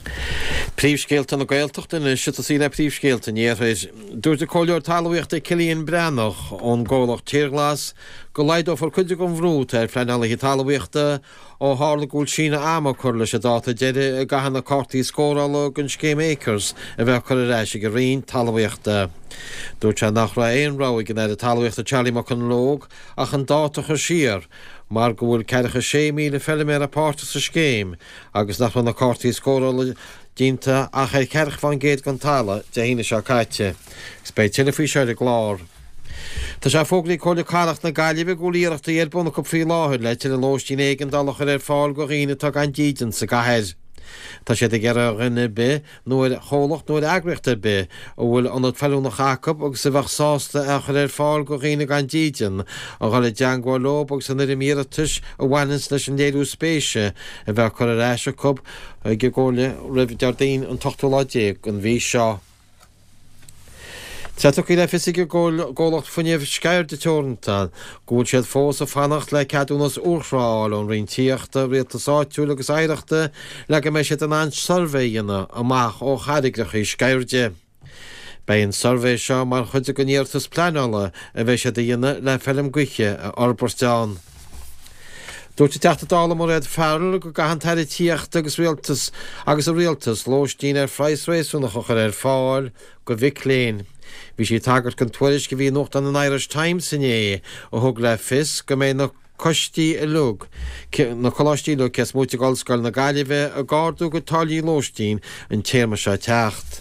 Príomhscéalta na Gaeltachta anois ag tosaí le príomhscéalta an Iarthair. Dúirt an Comhairleoir Talmhaíochta Cillian Breathnach ón gcomhlacht Tírghlas go laghdófar cuid den bhrú atá ar phleanálaithe talmhaíochta ó tharla go bhfuil síneadh ama curtha leis an dáta deiridh a gcaithfidh na cártaí scórála don scéim Acres a bheith curtha ar ais ag an Roinn Talmhaíochta. Dúirt sé nach raibh aon rogha ag an Aire Talmhaíochta Charlie McConalogue ach an dáta a chur siar mar go bhfuil ceathracha 6,000 feiliméara páirteach sa scéim agus nach raibh na cártaí scórála déanta ach ar cheathracha fán gcéad den talamh Dé hAoine seo caite. Agus beidh tuilleadh faoi seo ar an gclár. Tá sé fógraithe ag Comhairle Cathrach na Gaillimhe go bhfuil iarrachtaí ar bun acu faoi láthair le tuilleadh lóistín éigeandála a chur ar fáil do dhaoine atá gan dídean sa gcathair. Tá siad ag iarraidh ar dhuine ar bith nó ar chomhlacht nó ar eagraíocht ar bith a bhfuil ionad feiliúnach acu agus a bheadh sásta é a chur ar fáil do dhaoine gan dídean, a dhul i dteangmháil leo agus an fhoirm iarratais a bhaineanns leis an léiriú spéise a bheith curtha ar ais acu ag an gComhairle roimh Déardaoin an t-ochtú lá déag den mhí seo. Tá tugtha le fios ag an gcomhlacht fuinnimh Sceirde Teoranta go bhfuil siad fós ag fanacht le ceadúnas urthrá a fháil ón Roinn Tithíochta, Rialtais Áitiúil agus Oidhreachta le go mbeidh siad in ann suirbhé a dhéanamh amach ó charraigreacha Sceirde. Beidh an suirbhé seo mar chuid den iarratas pleanála a bheidh siad a dhéanamh le feilm gaoithe a fhorbairt ann. Dúirt an Teachta Dála Mairéad Farrell go gcaithfidh an tAire Tithíochta agus Rialtas agus a Rialtas lóistín ar phraghas réasúnach a chur ar fáil do mhic léinn. Bhí sí ag tagairt don tuairisc a bhí i nuachtán an Irish Times inné a thug le fios go mbeidh na coistí uilig, na coláistí uilig cé is móite d'Ollscoil na Gaillimhe ag ardú a gcuid táillí lóistín an téarma seo ag teacht.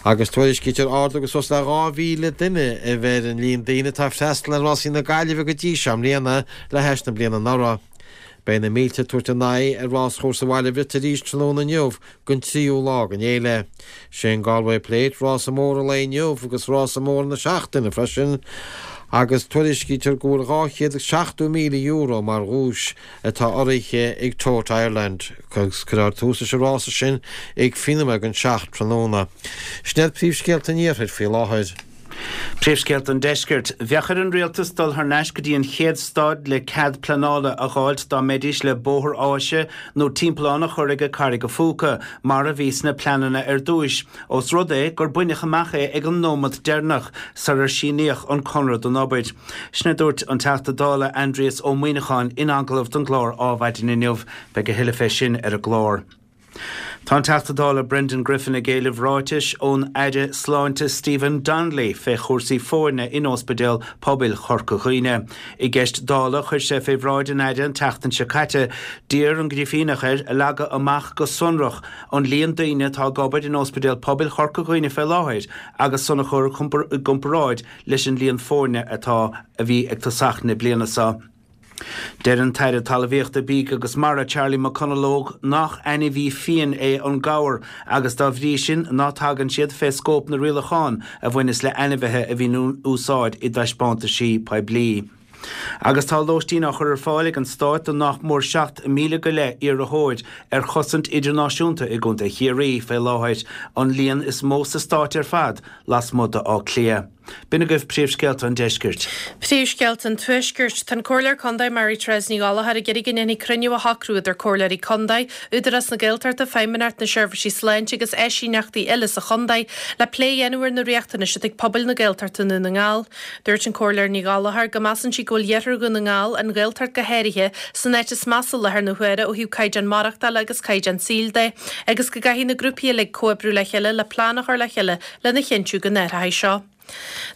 Agus tuairiscítear ardú de suas le 2,000 duine a bheith ar an líon daoine atá ag freastal ar Rásaí na Gaillimhe go dtí seo i mbliana le hais na bliana anuraidh. Beidh na mílte ag tabhairt a n-aghaidh ar ráschúrsa Bhaile Bhriotair arís tráthnóna inniu don tríú lá den fhéile. Sé an Galway Plate rása mór an lae inniu agus rása mór na seachtaine freisin agus tuairiscítear go bhfuil €270,000 mar dhuais atá urraithe ag Tote Ireland agus cuirfear tús leis an rása sin ag fiche nóiméad don seacht tráthnóna. Sin iad príomhscéalta an Iarthair faoi láthair.
Príomhscéalta an Deiscirt. Bheadh ar an Rialtas dul thar n-ais go dtí an chéad staid le cead pleanála a dh'fháilt dá mbeidís le bóthar áise nó timpeallán a chur ag Carraig a' Phúca, mar a bhí sna pleananna ar dtúis, ós rud é gur baineadh amach é ag an nóimeat deireanach sarar síníodh an conradh don obair. Sin a dúirt an Teachta Dála Aindrias Ó Muimhneacháin in agallamh don gclár Ádhmhaidin inniu. Beidh a thuilleadh fé sin ar an gclár. Tá an Teachta Dála Brendan Griffin ag éileamh ráitis ón Aire Sláinte Stephen Donnelly fé chúrsaí foirne in Ospidéal Pobail Chorca Dhuibhne. I gceist Dála a chuir sé fé bhráid an Aire an tseachtain seo caite, d'iarr an Grifíneach air a leagadh amach go sonrach an líon daoine atá ag obair in Ospidéal Pobail Chorca Dhuibhne fé láthair agus san a chur i gcomparáid leis an líon foirne atá a bhí ag tosach na bliana seo. Deir an tAire Talmhaíochta, Bídh agus Mara, Charlie McConalogue nach ainmhí fiain é an gabhar agus dá bhrí sin ná tagann siad fé scóip na rialachán a bhaineas le ainmhithe a bhíonn in úsáid i dtaispeántaisí poiblí. Agus tá lóistín á chur ar fáil ag an Stát do nach mór 7,000 go leith iarrthóir ar chosaint idirnáisiúnta i gContae Chiarraí fé láthair, an líon is mó sa Stát ar fad lasmuigh d'Áth Cliath. B'in agaibh príomhscéalta an deiscirt.
Príomhscéalta an Tuaiscirt. Tá an Comhairleoir Contae Mary Therese Ní Ghallchóir ag iarraidh go ndéanfaí cruinniú a shocrú idir Comhairleoirí Contae, Údarás na Gaeltachta, Feidhmeannacht na Seirbhísí Sláinte agus áisíneachtaí eile sa chontae le plé a dhéanamh ar na riachtanais atá ag pobail na Gaeltachta i nDún na nGall. Dúirt an Comhairleoir Ní Ghallchóir go measann sí go bhfuil Iarthar Dhún na nGall, an Ghaeltacht go háirithe, san áit is measa i láthair na huaire ó thaobh caighdeán maireachtála agus caighdeán saoil de agus go gcaithfidh na grúpaí uilig comhoibriú le chéile le plean a chur le chéile lena chinntiú go n-athróidh seo.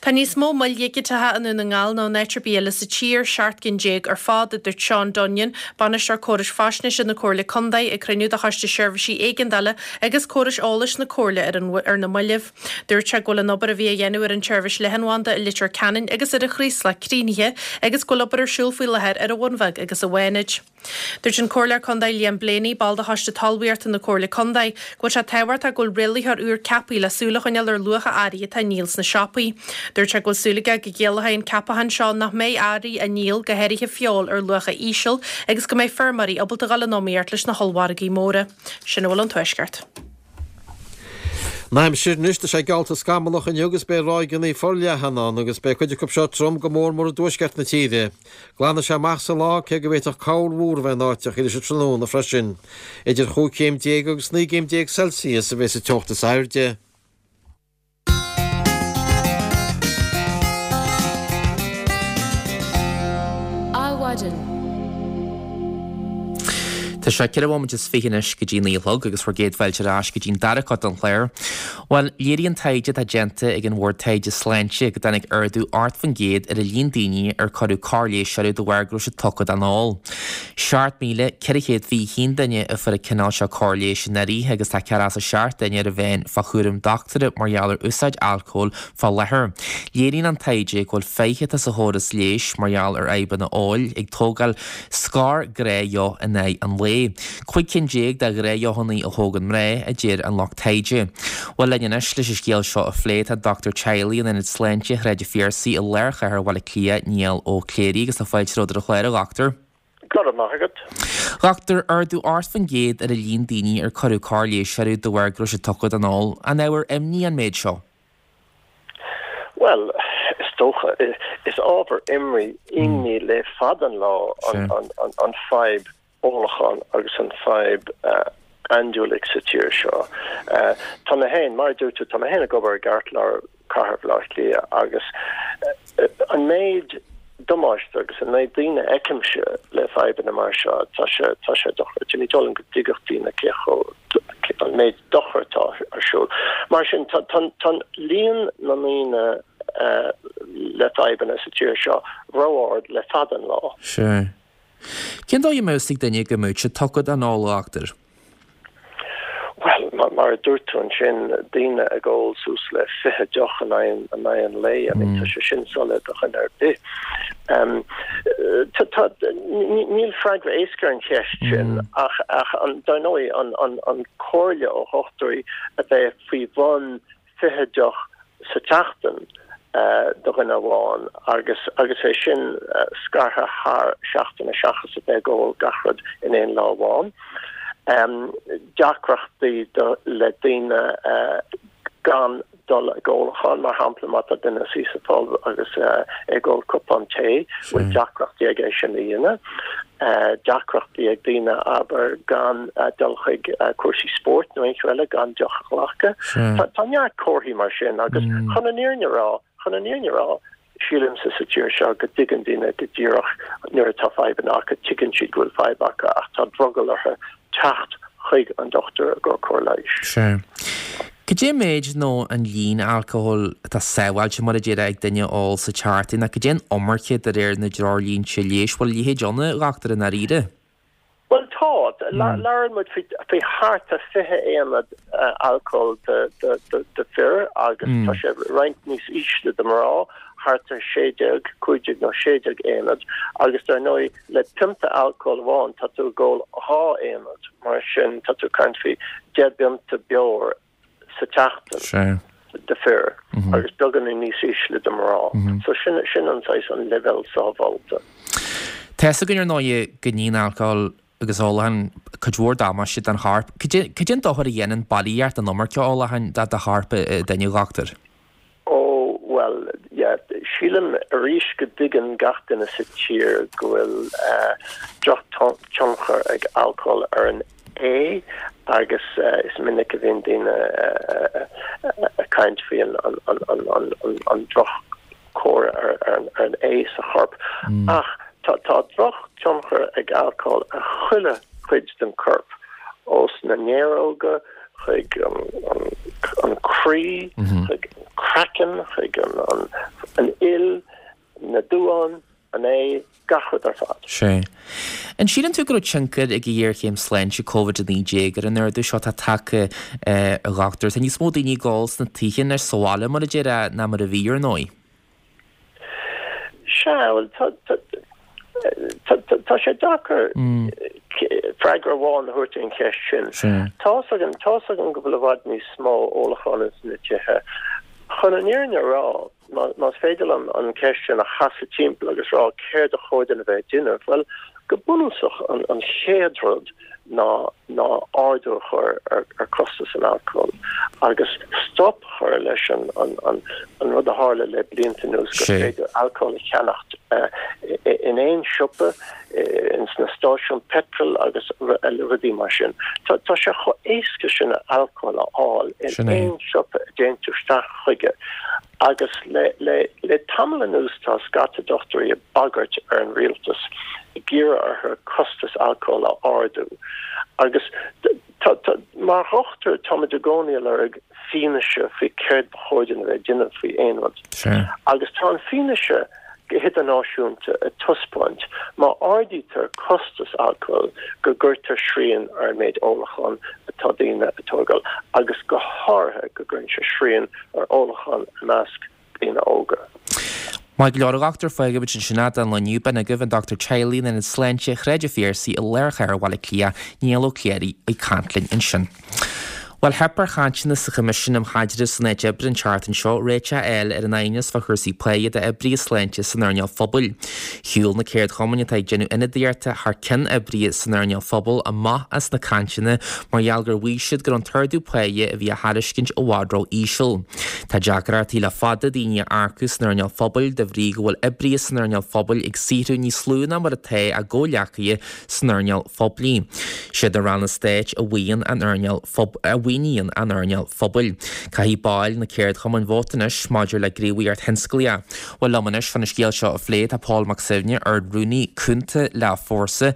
Tá níos mó moil dhigiteacha i nDún na nGall ná in áit ar bith eile sa tír, 17 gcinn ar fad, a dúirt Seán Dunnion, Bainisteoir Córais Faisnéise na Comhairle Contae, ag cruinniú de Choiste Seirbhísí Éigeandála agus Córais Eolais na Comhairle ar an ar na mallaibh. Dúirt sé go bhfuil an obair a bhí á dhéanamh ar an tseirbhís leathanbhanda i Leitir Ceanainn agus ar an Chraoslach críochnaithe agus go bhfuil obair ar siúl faoi láthair ar an Bhun Bheag agus i bhFánaid. Dúirt an Comhairleoir Contae Liam Blaney, ball de Choiste Talmhaíochta na Comhairle Contae, go bhfuil sé tábhachtach go bhfuil rialaitheoir úr ceaptha le súil a choinneáil ar luacha earraí atá á ndíol sna siopaí. Dúirt sé go bhfuil súil aige go gciallóidh an ceapachán seo nach mbeidh earraí á ndíol, go háirithe feoil, ar luacha íseal agus go mbeidh feirmeoirí ábalta dhul in iomaíocht leis na hollmhargaí móra. Sin a bhfuil ón Tuaisceart.
An aimsir anois, tá sé geallta scamallach inniu agus beidh ráigeanna forleathan ann agus beidh cuid acu seo trom go mór mór i dtuaisceart na tíre. Glanfaidh sé amach sa lá cé go bhféadfadh corrmhúr a bheith in áiteachaí leis an tráthnóna freisin. Idir chúig chéim déag agus naoi gcéim déag Celsius a bheas an teocht is airde.
Adhmhaidin. Tá sé 4 bhomaite is 20 anois go dtí 9 a chlog agus bhur gcéad fáilte ar ais go dtí'n dara cuid den chlár. Bhuel, léiríonn taighde atá déanta ag an Bhord Taighde Sláinte go dtáinig ardú 8% ar an líon daoine ar cuireadh cóir leighis orthu de bharr go raibh siad tugtha don ól. 7,421 duine a fuair an cineál seo cóir leighis anuraidh agus tá 47 duine ar an mheán fá chúram dochtúra mar gheall ar úsáid alcóil fá láthair. Léiríonn an taighde go bhfuil faiche atá sa chóras leighis mar gheall ar fhadhbanna óil ag tógáil scór gnáthdheoch in aghaidh an lae. 15 cinn de ghnáthdheochanna a thógann mná, a deir an lucht taighde. Bhuel linn anois leis an scéal seo a phlé tá dochtúir teaghlaigh in Ionad Sláinte Shráid an Phiarsaigh i lár chathair Bhaile Átha Cliath, Niall Ó Cléirigh, agus tá fáilte romhat ar an chlár, a dhochtúir.
Go raibh maith agat.
Dhochtúir, ardú 8% ar an líon daoine ar cuireadh cóir leighis orthu de bharr go raibh siad tugtha don ól. An ábhar imní an méid seo?
Bhuel, is dócha. Is ábhar imní le fada an lá an fadhb ólacháin agus an fadhb andúiligh sa tír seo. Tá mé féin, mar a dúirt tú, tá mé féin ag obair i gceartlár chathair Bhaile Átha Cliath agus an méid damáiste agus an méid daoine a fheicimse le fadhbanna mar seo, tá sé, tá sé dochreidte. Ní dóigh liom go dtuigfeadh daoine cé chomh, an méid dochair atá ar siúl. Mar sin, tá, tá, tá líon na ndaoine le fadhbanna sa tír seo ró-ard le fada an lá.
Sure. Cén dóigh a mbeadh fhios ag duine go mbeadh siad tugtha don ól, a dhochtúir?
Bhuel, mar a dúirt tú ansin, daoine ag ól suas le 20 deoch in aghaidh an lae, I mean, tá sé sin soiléir do dhuine ar bith. Tá, níl freagra éasca ar an cheist sin ach, dar ndóigh, an comhairle ó dhochtúirí a bheith faoi bhun 20 deoch sa tseachtain do dhuine amháin agus agus é sin scartha thar seachtaine seachas a bheith ag ól gach rud in aon lá amháin. Deacrachtaí le daoine gan dul ag ólachán, mar shampla má tá duine ina suí sa phub agus é ag ól cupán tae, bhfuil deacrachtaí aige é sin a dhéanamh. Deacrachtaí ag daoine, abair, gan dul chuig cúrsaí spóirt nó aon cheo eile gan deoch a ghlacadh. Tá neart comharthaí mar sin agus chun an fhírinne a rá, chun an fhírinne a rá, sílimse sa tír seo go dtuigeann daoine go díreach nuair atá fadhbanna acu, tuigeann siad go bhfuil fadhb acu ach tá drogall orthu teacht. chuig an dochtúir i gcomhair cóir leighis.
Sea. Cad é an méid nó an líon alcóil atá sábháilte, mar a déarfá, ag duine a ól sa tseachtain, nó cad é an iomarca de réir na dtreoirlínte leighis? Bhfuil a leithéid ann, a dhochtúir, i ndáiríre?
Bhuel, tá. Labhrann muid faoi thart ar 20 aonad alcóil do fir agus tá sé roinnt níos ísle do mná, thart ar 16, 15 nó 16 aonad agus dar ndóigh le pionta alcóil amháin tá tú ag ól 2 aonad, mar sin tá tú ag caint faoi 10 bpionta beoir sa tseachtain do fir agus beagáinín níos ísle do mná. So sin sin an saghas an leibhéal sábháilte.
Tá fhios againn ar ndóigh go ndéanann alcól agus ólachán cuid mhór damáiste don chorp. Cad é cad é an dochar a dhéanann bailíocht an iomarca ólacháin do do chorp duine, a dhochtúir?
Ó, bhuel, yeah, sílim arís go dtuigeann gach duine sa tír go bhfuil drochthionchar ag alcól ar an ae agus is minic a bhíonn daoine ag caint faoi an drochchóir ar an ae sa chorp. Ach tá drochthionchar ag alcól ar chuile chuid den chorp, ós na néaróga, chuig an croí, chuig an craiceann, chuig an fhuil, na duáin, an ae, gach rud ar fad.
Sea. An síleann tú go raibh tionchar ag an ghéarchéim sláinte Covid-19 ar an ardú seo atá tagtha, a dhochtúir? Tá níos mó daoine ag ól sna tithe anois sa bhaile, mar a déarfá, ná mar a bhí, ar ndóigh.
Sea, bhuel, tá, tá, tá, tá, tá sé deacair freagra amháin a thabhairt ar an cheist sin. Tá's againn, tá's againn go bhfuil i bhfad níos mó ólacháin ins na tithe. Chun an fhírinne a rá, má, más féidir liom an cheist sin a chasadh timpeall agus rá céard a chóir dúinn a bheith ag déanamh, bhuel, go bunúsach an, an chéad rud ná ná ardú a chur ar ar costas an alcóil agus stop a chur leis an an an an rud a tharla le blianta anuas gur féidir alcól a cheannacht in aon siopa, ins na stáisiúin peitril agus rudaí mar sin. Tá tá sé chomh éasca sin alcól a fháil in aon siopa a dtéann tú isteach chuige agus le le le tamall anuas tá scata dochtúirí ag bagairt ar an rialtas ag iarraidh orthu costas alcóil a ardú agus tá, tá, mar dhochtúir táimid i gcónaí ag lorg fianaise faoi céard ba chóir dúinn a bheith ag déanamh faoi aon rud. Agus tá an fianaise go hidirnáisiúnta ag taispeáint má ardaítear costas alcóil go gcuirtear srian ar an méid ólacháin atá daoine ag tógáil agus go háirithe go gcuireann sé srian ar ólachán i measc daoine óga.
Maith go leor, a dhochtúir, fágfaimid ansin é don lá inniu. B'in agaibh an Dochtúir Teaghlaigh in Ionad Sláinte Shráid an Phiarsaigh i lár chathair Bhaile Átha Cliath, Niall Ó Cléirigh, ag caint linn ansin. Bhuel, theip ar chainteanna sa Choimisiún um Chaidreamh san Áit Oibre an tseachtain seo réiteach a fháil ar an aighneas fá chúrsaí páighe d'oibrithe sláinte san earnáil phobail. Shiúil na ceardchumainn atá ag déanamh ionadaíochta thar ceann oibrithe san earnáil phobail amach as na cainteanna mar gheall gur mhaígh siad go raibh an t-ardú páighe a bhí á thairiscint i bhfad ró-íseal. Tá deacrachtaí le fada daoine a earcú san earnáil phobail de bhrí go bhfuil oibrithe san earnáil phobail ag saothrú níos lú ná mar atá a gcomhghleacaithe san earnáil phoiblí. Siad na ranna stáit a mhaoin an earnáil a mhaoiníonn an earnáil phobail. Caithfidh baill na ceardchumainn vóta anois maidir le gníomhaíocht thionsclaíoch. Bhuel liom anois chun an scéal seo a phlé tá Pól Mac Suibhne, Ard-Rúnaí Cúnta le Fórsa.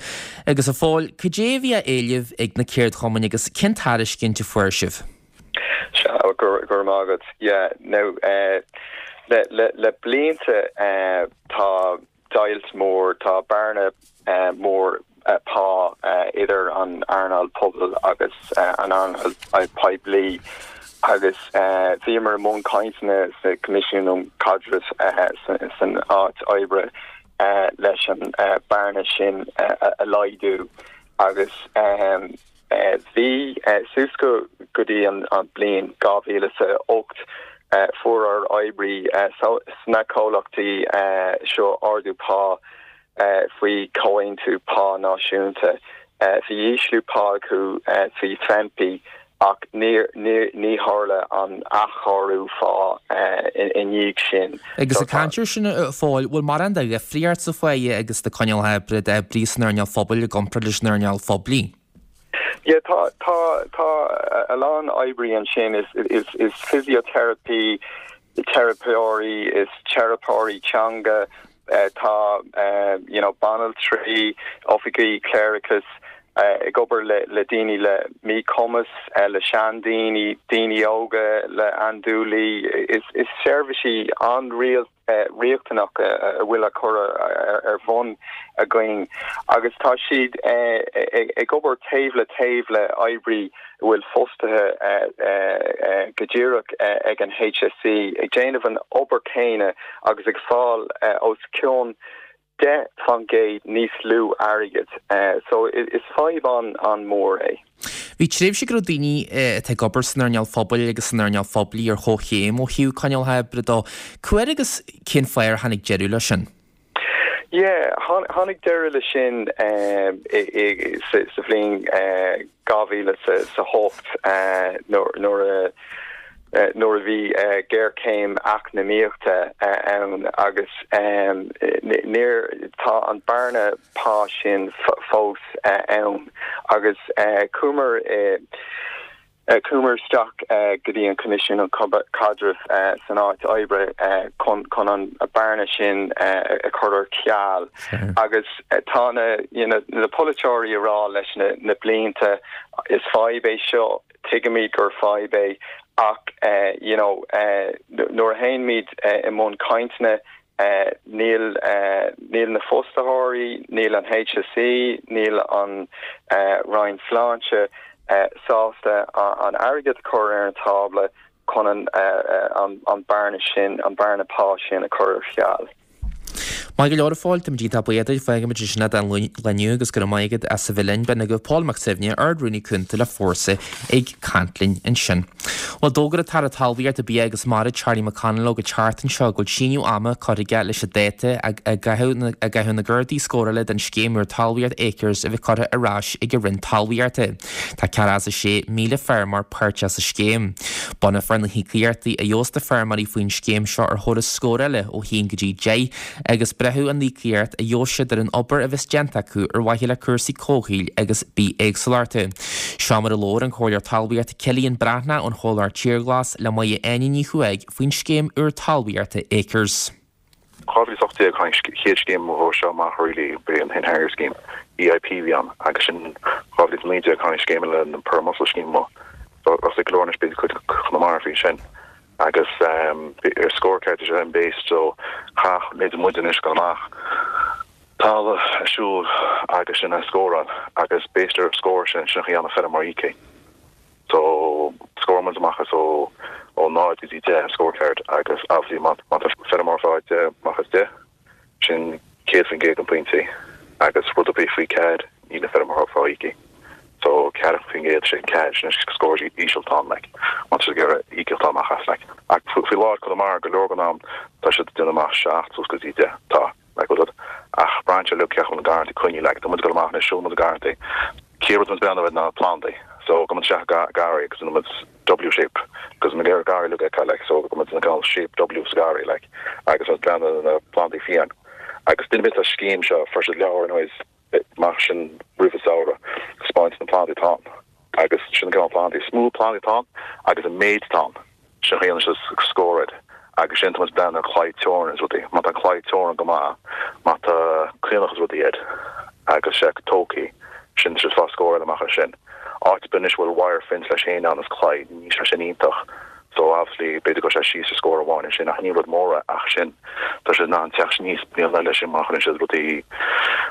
Agus a Phóil, cad é a bhí á éileamh ag na ceardchumainn agus cén tairiscint a fuair sibh?
Sea, go raibh maith agat. Yeah, now, le, le, le blianta tá deighilt mór, tá bearna mór pá idir an earnáil pobail agus an earnáil poiblí agus bhíomar i mbun cainteanna sa Coimisiún um Chaidreamh san Áit Oibre leis an bearna sin a laghdú agus Bhí, suas go go dtí an bliain 2008, fuair ár oibrí sna comhlachtaí seo ardú pá faoi chomhaontú pá náisiúnta. Bhí ísliú pá acu faoi FEMPI ach ní tharla an athchóiriú phá i ndiaidh sin.
Agus ag caint air sin, a Phóil, bhfuil mórán de dhifríocht sa pháighe agus sna coinníollacha oibre d'oibrithe san earnáil phobail i gcomparáid leis an earnáil phoiblí?
Yeah, tá, tá, tá a lán oibrí ansin, is, is, is physiotherapy, teiripeoirí, is teiripeoirí teanga, tá, you know, banaltraí, oifigigh cléireachais. ag obair le daoine le míchumas, le seandaoine, daoine óga le andúilí. Is seirbhísí an-riachtanach a bhfuil á cur ar bhun againn agus tá siad ag obair taobh le taobh le oibrí a bhfuil fostaithe go díreach ag an HSE, ag déanamh an obair céanna agus ag fáil os cionn 10% níos lú airgid. So is fadhb an-mhór é.
Bhí tréimhse go raibh daoine atá ag obair san earnáil phobail agus san earnáil phoiblí ar chomhchéim ó thaobh coinníollacha oibre dó. Cá huair agus cén fáth ar tháinig deireadh leis sin?
Yeah, tháinig deireadh leis sin sa bhliain 2008 nuair a nuair a bhí géarchéim eacnamaíochta ann agus níor, tá an bearna pá sin fós ann agus chuamar i, chuamar isteach go dtí an Coimisiún um Chaidreamh san Áit Oibre chun chun an bearna sin a chur ar ceal agus tá na you know na polaiteoirí ag rá leis na na blianta is fadhb é seo, tuigimid gur fadhb é ach you know nuair a théimid i mbun cainteanna níl níl na fostaitheoirí, níl an HSE, níl an Roinn Sláinte sásta an airgead a chur ar an tábla chun an bearna sin, an bearna pá sin a chur ar ceal.
Maith go leor a Phóil, táimid iontach buíoch duit, fágfaimid ansin é don lá inniu agus go raibh maith agat as a bheith linn. B'in agaibh Pól Mac Suibhne, Ard-Rúnaí Cúnta le Fórsa ag caint linn ansin. Bhuel, d'fhógair an tAire Talmhaíochta, Bia agus Mara, Charlie McConalogue an tseachtain seo go bhfuil síneadh ama curtha aige leis an dáta a gcaithfidh a gcaithfidh na Gardaí scórála don scéim úr talmhaíochta Acres a bheith curtha ar ais ag an Roinn Talmhaíochta. Tá 46,000 feirmeoir páirteach sa scéim. Bunófar na híocaíochtaí a gheobhas na feirmeoirí faoin scéim seo ar thoradh scórála ó 1 go dtí 10 agus braithfidh an íocaíocht a gheobhas siad ar an obair a bheas déanta acu ar mhaithe le cúrsaí comhshaoil agus bithéagsúlachta. Seo mar a labhair an Comhairleoir Talmhaíochta Cillian Breathnach ón chomhlacht Tír Ghlas le Máire Áine Ní Chuaig faoin scéim úr talmhaíochta Acres.
2018 tháinig chéad scéim dhó seo amach really b'é an Hen Harrier Scheme, EIP a bhí ann agus sin 2019 tháinig scéim eile an Pearl Mussel Scheme amuigh. So is go leor anois b'fhéidir cuid Chonamara faoi sin agus ar scorecard is sin based so chaith b'fhéidir muid anois dul amach talamh a siúl agus sin a scóráil agus based ar scór sin sin a dhéanamh feirmeoir íoctha. So, scóráil muid amach as ó ó 0 go dtí 10 an scorecard agus obviously má má tá feirmeoir fá 10 amach as 10, sin 100% den pointí agus rud ar bith faoi 4 níl an feirmeoir fá íoc. So 4% sin 4 sin an scór íseal atá ann like má tá siad ag iarraidh íocaíocht a fháil amach as like. Ach faoi láthair Conamara go leor den am tá siad ag déanamh amach 7 suas go dtí 10 tá. like rud ach braitheann sé uilig cé acu na garrantaí coinnithe like tá muid ag dul amach anois siúl muid na garrantaí chéad rud muid breathnú air ná plandaí so go muid isteach i garraí agus rinne muid W shape agus na garraí uilig a fheiceáil like so go muid ina cineál shape W sa garraí like agus muid breathnú ar na plandaí fiáin agus duine ar bith sa scéim seo fuair siad leabhar anyways amach sin roimh an samhradh, 'spáint na plandaí atá ann agus sin an cineál plandaí, is mó plandaí atá ann agus an méid atá ann, sin a dhéanann siad scór air agus sin tá muid ag breathnú ar claí teorann is rudaí, má tá an claí teorann go maith, má tá caonach is rudaí air agus sé tógthaí, sin tá siad ag fáil scór eile amach as sin. Áit ar bith anois a bhfuil wire fence leis féin ann is claí, níl sé sin iontach. So obviously b'fhéidir go raibh sé síos ar scór amháin ansin ach ní rud mór é ach sin tá sé in ann teacht aníos bliain eile sin má chuireann siad rudaí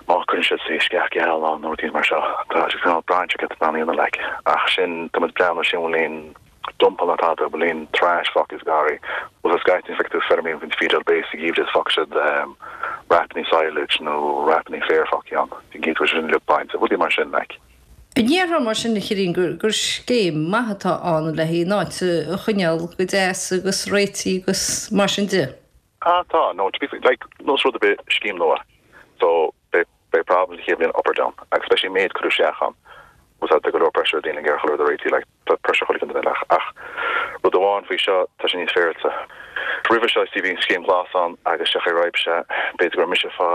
má chuireann siad say sceach geal ann nó rudaí mar seo tá sé cineál braitheann sé cad atá ann like ach sin tá muid breathnú sin bhfuil aon dumpanna tada bhfuil aon trash fágtha sa garraí bhfuil scaití feictear feirmí bhíonn feed base sa gheimhreadh is fágfaidh siad wrapannaí silage nó wrapannaí féir fágtha ann bíonn cinnte go bhfuil sé sin uilig bainte rudaí mar sin like.
An ndéarfá mar sin, a Chilliain, gur scéim maith atá ann le haghaidh an áit a choinneáil go deas agus réitithe agus mar sin de?
Ah tá, no to be fair, like nós rud ar bith scéim nua so beidh beidh problems an chéad bhliain up or down agus especially an méid cuireadh isteach ann was that tá go leor pressure ar daoine ag iarraidh chuile rud a réitigh like tá pressure chuile duine like ach rud amháin faoi seo tá sé níos féaráilte. Roimhe seo see bhí an scéim ghlas ann agus sé chaoi raibh sé b'fhéidir go raibh mise fá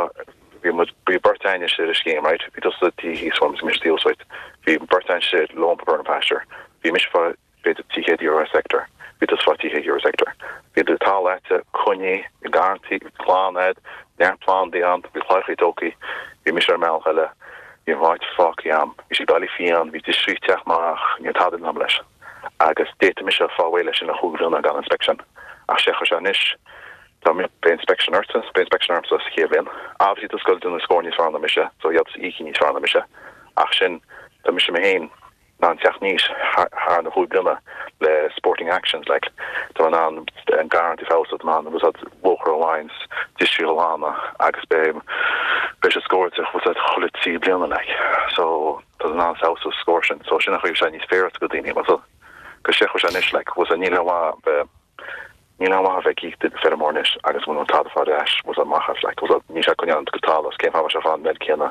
Bhí muid, bhí beirt a'inn istigh ar an scéim, right, bhí tusa taobh thíos uaim agus mise taobh thuas uait, bhí beirt a'inn istigh lone burn pasture, bhí mise fá b'fhéidir €300 a sector, bhí tusa fá €300 a sector. Bhí do talamh a'dsa, coinnithe, garrantaí, glan a'd, neart plandaí ann, bhí claíochaí tógthaí, bhí mise ar an mbealach eile. Bhí an áit fágtha a'm. Bhí sé bailí fiáin, bhí distrí ag teacht amach, ní raibh tada déanta leis. Agus d'fhéadfadh mise fáil réidh leis sin le chúig bhliana gan inspection. Ach sé chuir sé anois, tá, beidh inspection ortsa, beidh inspection ormsa sa chéad bhliain. Obviously tá scoil déanamh scór níos fearr ná mise, so gheobhaidh tusa íocaí níos fearr ná mise. Ach sin, tá mise mé féin, in ann teacht aníos thar na chúig bliana le sporting actions like tá mé in ann an garrantaí a feabhsú, tá mé in ann úsáid bóthar alliance, distrí a ghlanadh agus beidh beidh sé scóráilte úsáid chuile 3 bliana like so tá in ann feabhsú sa scór sin so sin an chaoi sé níos féarach do daoine so go sé chuir sé anois like bhfuil níl aon mhaith bheith Níl aon mhaith a bheith ag íoc feirmeoir anois agus muna bhfuil tada fáil ar ais, bhfuil a fhios amach as, like, bhfuil a fhios níl sé ag coinneáil an talamh, cén fáth a mbeadh sé ag fáil an méid céanna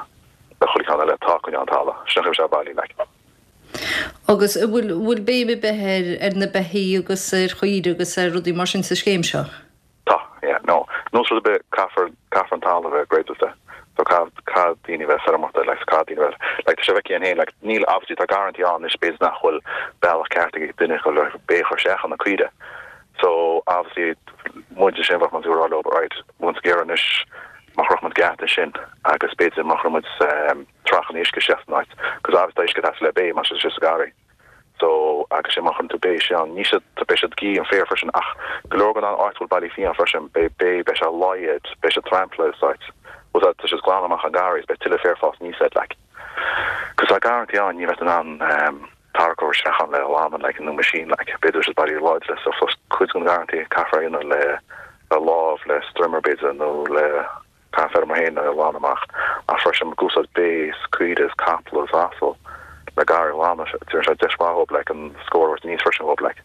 le chuile cheann eile atá ag coinneáil an talamh, sin an chaoi a bhfuil sé bailí, like.
Agus an bhfuil, bhfuil béim ar bith ar, ar na beithígh agus ar chaoirigh agus ar rudaí mar sin sa scéim seo?
Tá, yeah, no. Nós rud ar bith, caithfear, caithfear an talamh a bheith gréadailte. So caithfidh, caithfidh daoine a bheith feirmeoireachta, like, so caithfidh daoine a bheith, like, tá sé feicthe againn féin, like, níl, obviously tá garrantaí ann anois, b'fhéidir nach bhfuil bealach ceart ag duine chun le bé a chur isteach ann na caoire. So, obviously, muid sin bheadh muid ag rá leo, right, bhfuil muid ag iarraidh anois, má chuirfeadh muid geata ansin agus b'fhéidir má chuir muid trachanna uisce isteach san áit, cos obviously tá uisce ag teastáil le bé má tá sé sa garraí. So, agus sé má chuireann tú bé isteach ann, ní siad, beidh siad ag ithe an féar freisin ach go leor den áit a bhfuil ballaí fiáin freisin, beidh bé, beidh sé laghad, beidh sé trampled sa áit. Bhfuil a fhios agat, tá siad glanadh amach an garraí is beidh tuilleadh féar fás aníos air like. Cos tá garrantaí ann, ní bheadh in ann tarrac a chur isteach ann le ghlanadh like nó machine like, b'fhéidir siad ballaí láidre so so cuid den gharrantaí caithfear a dhéanamh le le lámh, le strimmer b'fhéidir nó le Caithfidh feirmeoir féin é a ghlanadh amach ach freisin ag úsáid bé is caoire is capall is asal le garraí a ghlanadh. Déanann sé deis mhaith dhób like an scór a thabhairt aníos freisin dhób like.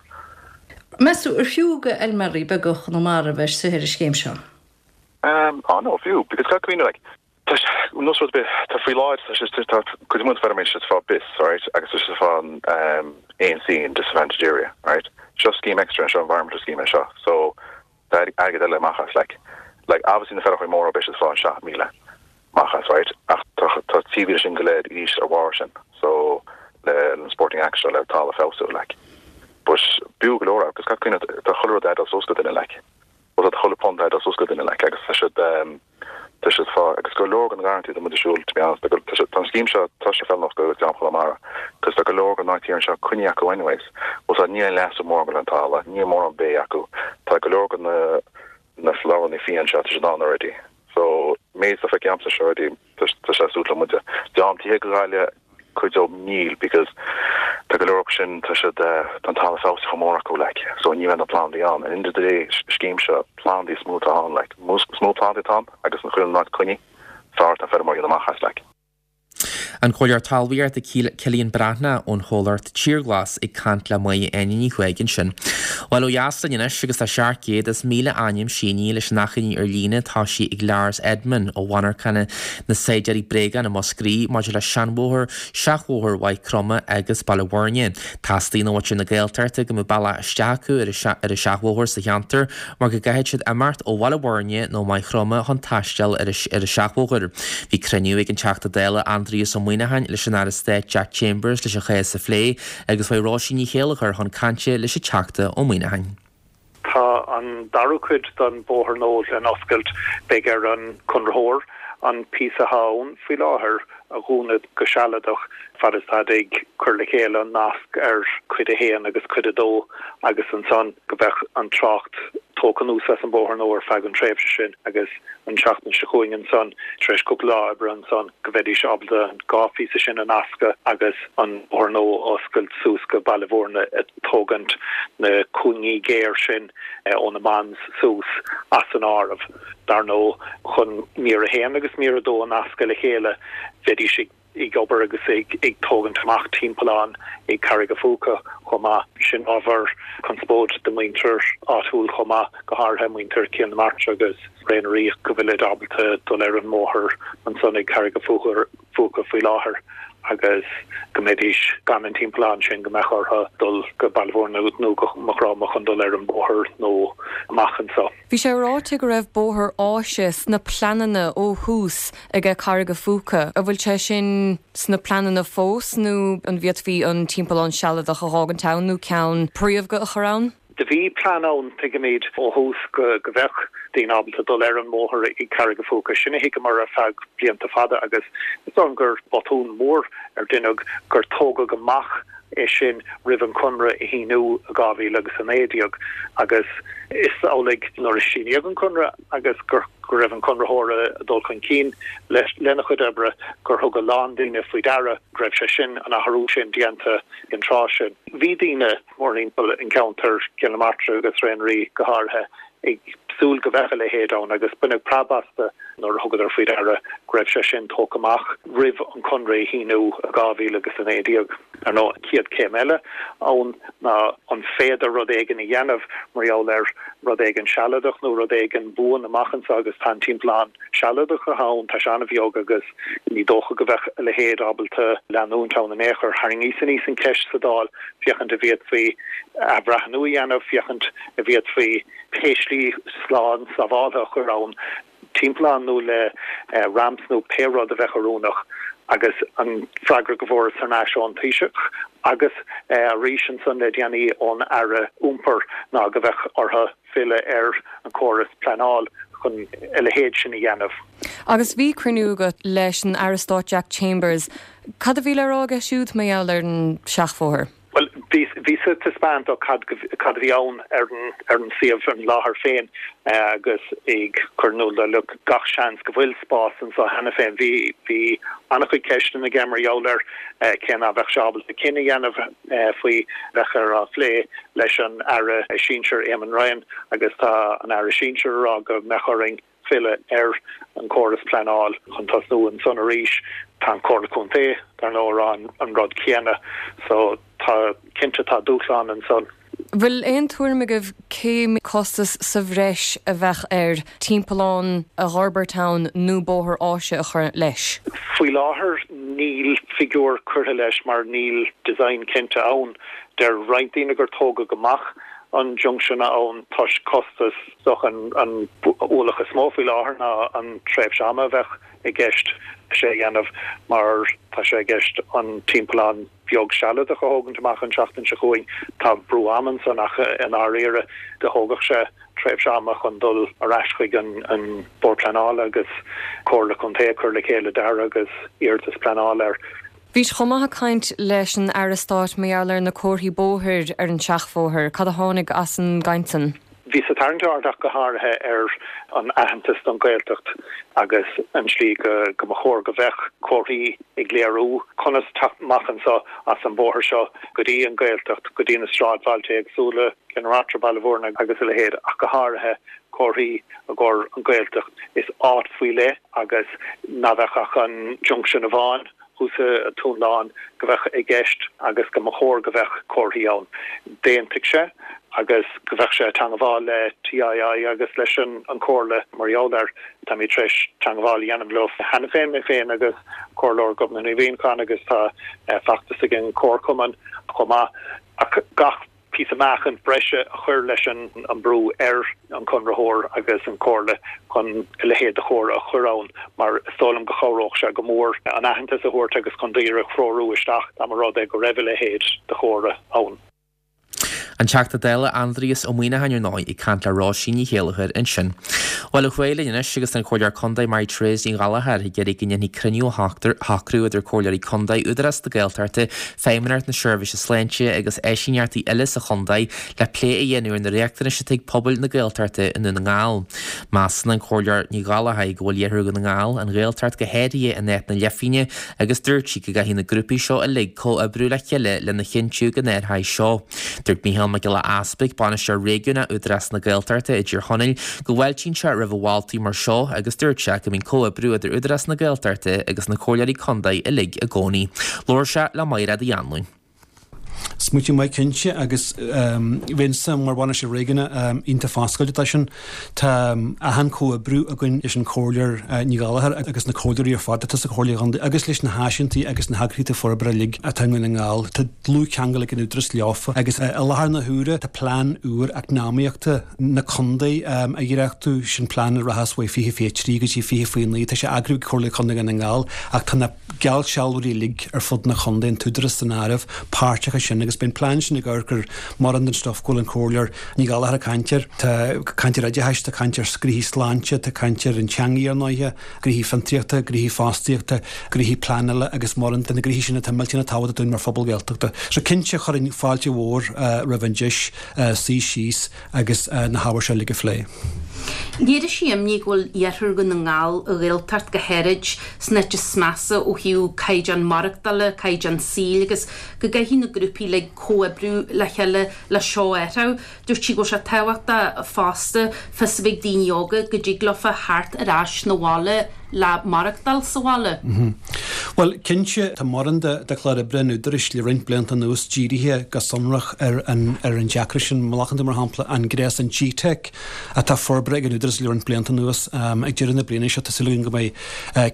Meas tú ar fiú go fheilméaraí beaga Chonamara a bheith istigh ar an scéim seo?
Um, ah no, fiú, because caithfidh cuimhneamh like, tá sé, nós rud ar bith, tá faoi láthair, tá sé, tá cuid mhaith feirmeoirí siad ag fáil BIS, alright, agus tá siad ag fáil um, 1C in disadvantaged area, right? Seo scheme extra, seo environmental scheme é seo, so Tá airgead eile amach as like. Like obviously na feirmeoirí móra beidh siad ag fáil 7,000 amach as right ach tá tá 3,000 sin go léir arís ar bharr sin so le an sporting act seo le talamh a feabhsú like. But b'fhiú go leor agus caithfidh cuimhneamh tá chuile rud ag dul suas go duine like. Bhuel tá chuile punt ag dul suas go duine like agus tá siad um Tá siad fá agus go leor den gharrantaí tá muid ag siúl to be honest tá tá sé tá an scéim seo tá sé feiliúnach go dream Chonamara cos tá go leor den áit thiar anseo coinnithe acu anyways bhuel tá níl aon leasú mór le an talamh níl mórán bé acu tá go leor de na na floweranna fiáin seo tá siad ann already so méid atá feicthe a'msa seo already tá tá sé suit le muide dream tithe go Gaillimh cuid dóibh níl because tá go leor acu sin tá siad tá an talamh feabhsaithe chomh mór acu like so ní bheidh na plandaí ann and end of the day scéim seo plandaí is mó atá ann like is mó plandaí atá ann agus an chuile áit coinnithe is fearr atá feirmeoirí amach as like.
An Comhairleoir Talmhaíochta Cillian Breathnach ón chomhlacht Tír Ghlas ag caint le Máire Áine Ní Chuaig ansin. Bhuel ó dheas linn anois agus tá 700,000 ainm sínithe leis an achainí ar líne tosaithe ag Lars Edman ó mhonarchana na Saighdiúirí Bréagán i Múscraí maidir le seanbhóthar, seachbhóthar Mhaigh Chromtha agus Baile Bhuirne. Teastaíonn ó mhuintir na Gaeltachta go mbeadh bealach isteach acu ar an seachbhóthar sa cheantar mar go gcaithfidh siad imeacht ó Bhaile Bhuirne nó Maigh Chromtha chun taisteal ar an seachbhóthar. Bhí cruinniú ag an Teachta Dála Aindrias Ó Muimhneacháin leis an Aire Stáit Jack Chambers leis an chás a phlé agus chuaigh Róisín Ní Chéilleachair chun cainte leis an Teachta Ó Muimhneacháin.
Tá an dara cuid den bhóthar nua lena oscailt. Beidh ar an conraitheoir an píosa atá ann faoi láthair a dhúnadh go sealadach fad is táid ag cur le chéile an nasc ar Chuid 1 agus Cuid 2 agus ansan go mbeadh an trácht tógtha anuas as an bóthar nua ar feadh an tréimhse sin agus an tseachtain seo chugainn ansan tar éis cúpla lá oibre ansan go mbeidís ábalta an dhá phíosa sin a nascadh agus an bóthar nua a oscailt suas go Baile Bhúirne. tógaint na cúinní géar sin ó na Mans suas as an áireamh. Dar ndóigh, chun mír a haon agus mír a dó a nascadh le chéile, bheidís ag obair agus ag tógaint amach timpeallán ag Carraig a' Phúca chomh maith. Sin ábhar conspóid do mhuintir áitiúil chomh maith, go háirithe muintir Chill na Martra agus Ré na Ríogh, go bhfuilid ábalta dul ar an mbóthar ansan ag Carraig a' Phúca faoi láthair agus go mbeidís gan an timpeallán sin, go mbeadh orthu dul go Baile Bhúirne nó go Maigh Chromtha chun dul ar an bóthar nua amach anso.
Bhí sé ráite go raibh bóthar áise sna pleananna ó thús aige Carraig a' Phúca. An bhfuil sé sin sna pleananna fós nó an bhféadfaí an timpeallán sealadach a dh'fhágaint ann nó ceann príomha a chur ann?
Do bhí plean ann, tuigimid, ó thús go go bheadh daoine ábalta dul ar an mbóthar i gCarraig a' Phúca. Sin a thuigeamar ar feadh blianta fada agus is dóigh liom gur botún mór ar deineadh gur tógadh amach é sin roimh an conradh a shíniú i 2019 agus is amhlaidh nuair a síníodh an conradh agus go raibh an conraitheoir ag dul chun cinn lena chuid oibre gur thug a lán daoine faoi deara go raibh sé sin, an athrú sin déanta an tráth sin. Bhí daoine mórthimpeall an cheantair, Cill na Martra agus Thrá Lí go háirithe, ag súil go mbeadh a leithéid ann agus baineadh preab astu nuair a thugadar faoi deara go raibh sé sin tógtha amach roimh an conradh a shíniú i 2019. Ar ndóigh, an chéad chéim eile ann ná an féidir rud éigin a dhéanamh mar gheall ar rud éigin sealadach nó rud éigin buan amach anseo agus tá an timpeallán sealadach atá ann, tá sé an-bheag agus ní dócha go mbeadh a leithéid ábalta leanúint ann in aon chor. Tharraingíos aníos an cheist sa Dáil féachaint an bhféadfaí athbhreithniú a dhéanamh, féachaint an bhféadfaí pé slí slán sábháltha a chur ann, timpeallán nó le ramps nó pé rud a bheadh oiriúnach agus an freagra go bhfuaireas thar n-ais ón Taoiseach agus arís ansan le déanaí ón Aire Iompair ná go bheadh orthu filleadh ar an chóras pleanáil chun a leithéid sin a dhéanamh.
Agus bhí cruinniú agat leis an Aire Stáit Jack Chambers. Cad a bhí le rá aige siúd mar gheall ar an seachbhóthar?
Bhuel, bhíos ag taispeáint dó cad cad a bhí ann ar an ar an suíomh, ar an láthair féin agus ag cur in iúl dó, look, gach seans go bhfuil spás anseo cheana féin. Bhí bhí an-chuid ceisteanna aige mar gheall air cé ná bheadh sé ábalta cinneadh a dhéanamh faoi, bheadh air á phlé leis an Aire Sinsir Eamon Ryan agus tá an Aire Sinsir ag rá go mbeadh orainn filleadh ar an chóras pleanáil chun tosnú ansan arís. Tá an Comhairle Contae, dar ndóigh, ag rá an rud céanna. So tá, cinnte tá dúshlán ansan.
Bhfuil aon tuairim agaibh cén costas sa bhreis a bheadh air timpeallán a dh'fhorbairt ann nó bóthar áise a chur leis?
Faoi láthair níl figiúr curtha leis mar níl design cinnte ann. Deir roinnt daoine gur tógadh amach an junction ann toisc costas. Is dócha an ualach is mó faoi láthair ná an tréimhse ama a bheadh i gceist leis é a dhéanamh mar tá sé i gceist an timpeallán beag sealadach a thógaint amach an tseachtain seo chugainn. Tá brú ama ansan ach i ndáiríre do thógfadh sé tréimhse ama chun dul ar ais chuig an Bord Pleanála agus Comhairle Contae ag cur le chéile dearadh agus iarratas pleanála air.
Bhís chomh maith ag caint leis an Aire Stáit mar gheall ar na comharthaí bóthair ar an seachbhóthar. Cad a tháinig as an gcaint san?
Bhíos ag tarraingt aird ach go háirithe ar an aitheantas don Ghaeltacht agus an tslí go go mba chóir go bheadh comharthaí ag léiriú conas teacht amach anseo as an bóthar seo go dtí an Ghaeltacht, go dtí na sráidbhailte éagsúla, Cill na Martra, Baile Bhúirne agus a leithéid ach go háirithe comharthaí i gcomhair an Ghaeltacht. Is áit faoi leith agus ná bheadh ach an junction amháin thuas i Dún Láin go bheadh i gceist agus go mba chóir go bheadh comharthaí ann. D'aontaigh sé agus go bheadh sé ag teangmháil le TII agus leis an Chomhairle mar gheall air. Táimid tar éis teangmháil a dhéanamh leo cheana féin, mé féin agus Comhairleoir Gobnait Ní Mhuimhneacháin agus tá feachtas ag an Chomharchumann chomh maith. Ach gach. píosa meáchain breise a chur leis an mbrú ar an chonraitheoir agus an Chomhairle chun a leithéid de chomhartha a chur ann mar is dóigh liom go chabhródh sé go mór an aitheantas a thabhairt agus chun daoine a threorú isteach dá mba rud é go raibh a leithéid de chomhartha ann.
An Teachta Dála Aindrias Ó Muimhneacháin ar ndóigh ag caint le Róisín Ní Chéilleachair ansin. Bhuel, ar aghaidh linn anois agus tá an Comhairleoir Contae Mary Therese Ní Ghallchóir ag iarraidh go ndéanfaí cruinniú a shocrú idir Comhairleoirí Contae Údarás na Gaeltachta Feidhmeannacht na Seirbhíse Sláinte agus áisíneachtaí eile sa chontae le plé a dhéanamh ar na riachtanais atá ag pobail na Gaeltachta i nDún na nGall. Measann an Comhairleoir Ní Ghallchóir go bhfuil iarthar Dhún na nGall, an Ghaeltacht go háirithe in áit na leithphingne agus dúirt sí go gcaithfidh na grúpaí seo uilig comhoibriú le chéile lena chinntiú go n-athróidh seo. Dúirt Mícheál Mac Giolla Easpaig, Bainisteoir Réigiúnach Údarás na Gaeltachta i dTír Chonaill, go bhfáiltíonn sé roimh mholtaí mar seo agus dúirt sé go mbíonn comhoibriú idir Údarás na Gaeltachta agus na Comhairleoirí Contae uilig i gcónaí. Labhair sé le Maighread Uí Anluain.
Smaoineamh maith cinnte agus bheinnse mar bhainisteoir réigiúnach iontach foscailte dó sin. Tá achan comhoibriú againn leis an Chomhairleoir Ní Ghallchóir agus na comhairleoirí ar fad atá sa Chomhairle Chontae agus leis na háisínteachtaí agus na heagraíochtaí forbartha uilig atá i nDún na nGall. Tá dlúthcheangal ag an Údarás leofa agus i láthair na huaire tá plean úr eacnamaíochta na contae á dhréachtú, sin plean a rachas uaidh 2023 go dtí 2029. Tá sé eagraithe ag Comhairle Contae Dhún na nGall ach tá na geallsealbhóirí uilig ar fud na contae, an tÚdarás san áireamh, páirteach ansin. ansin agus beidh an plean sin ag amharc ar mórán den stuif go bhfuil an Comhairleoir Ní Ghallchóir ag caint air. Tá caint ar oideachais, tá caint ar gnoithí sláinte, tá caint ar an teangaidh ar ndóighe, gnoithí fiontraíochta, gnoithí fostaíochta, gnoithí pleanála agus mórán de na gnoithí sin atá millteanach tábhachtach dúinn mar phobal Gaeltachta. So cinnte chuirfinn fáilte mhór roimh an deis suí síos agus na hábhair seo uilig a phlé.
Léirigh sí imní go bhfuil iarthar Dhún na nGall, an Ghaeltacht go háirid, san áit is measa ó thaobh caighdeán maireachtála, caighdeán saoil agus go gcaithfidh na grúpaí uilig comhoibriú le chéile le seo a athrú. Dúirt sí go bhfuil sé tábhachtach fosta fios a bheith ag daoine óga go dtig leofa theacht ar ais 'na bhaile le maireachtáil sa bhaile.
Bhuel, cinnte, tá mórán de chlár oibre an Údaráis le roinnt blianta anuas dírithe go sonrach ar an ar an deacracht sin. Má ghlacann tú, mar shampla, an gréasán GTeic atá forbartha ag an Údarás le roinnt blianta anuas, ag deireadh na bliana seo tá súil againn go mbeidh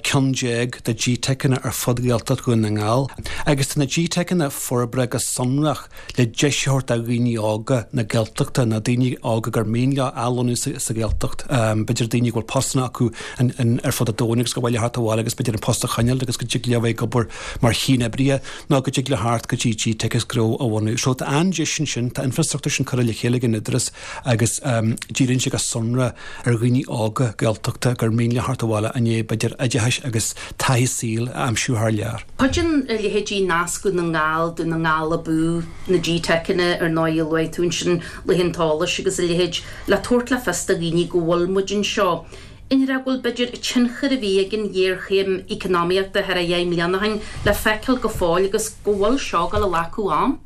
ceann de GTeiceanna ar fud Ghaeltacht Dhún na nGall. Agus tá na GTeiceanna forbartha go sonrach le deis a thabhairt do dhaoine óga na Gaeltachta, nó daoine óga gur mian leo athlonnú sa Ghaeltacht, b'fhéidir daoine go bhfuil postanna acu ar fud an domhain agus gur mhaith leo theacht abhaile agus b'fhéidir an post a choinneáil agus go dtig leo bheith ag obair mar chianoibrithe nó go dtig leo theacht go dtí GTeic agus gnó a bhunú. So tá an-deis ansin, tá infrastruchtúr sin curtha le chéile ag an Údarás agus díríonn sé go sonrath ar dhaoine óga Gaeltachta gur mian leo theacht abhaile i ndiaidh b'fhéidir oideachais agus taithí saoil a aimsiú thar lear.
Cuidíonn a leithéidí Nasc Dhún na nGall, Dún na nGall Abú, na GTeiceanna ar ndóigh a luaigh tú ansin, Laethanta Eolais agus a leithéid, le tabhairt le fios do dhaoine go bhfuil muid anseo. An ndéarfá go bhfuil b'fhéidir an tionchar a bhí ag an ghéarchéim eacnamaíochta thar a dheich mbliana ó shin le feiceáil go fóill agus go bhfuil seo ag dul a ghlacadh am.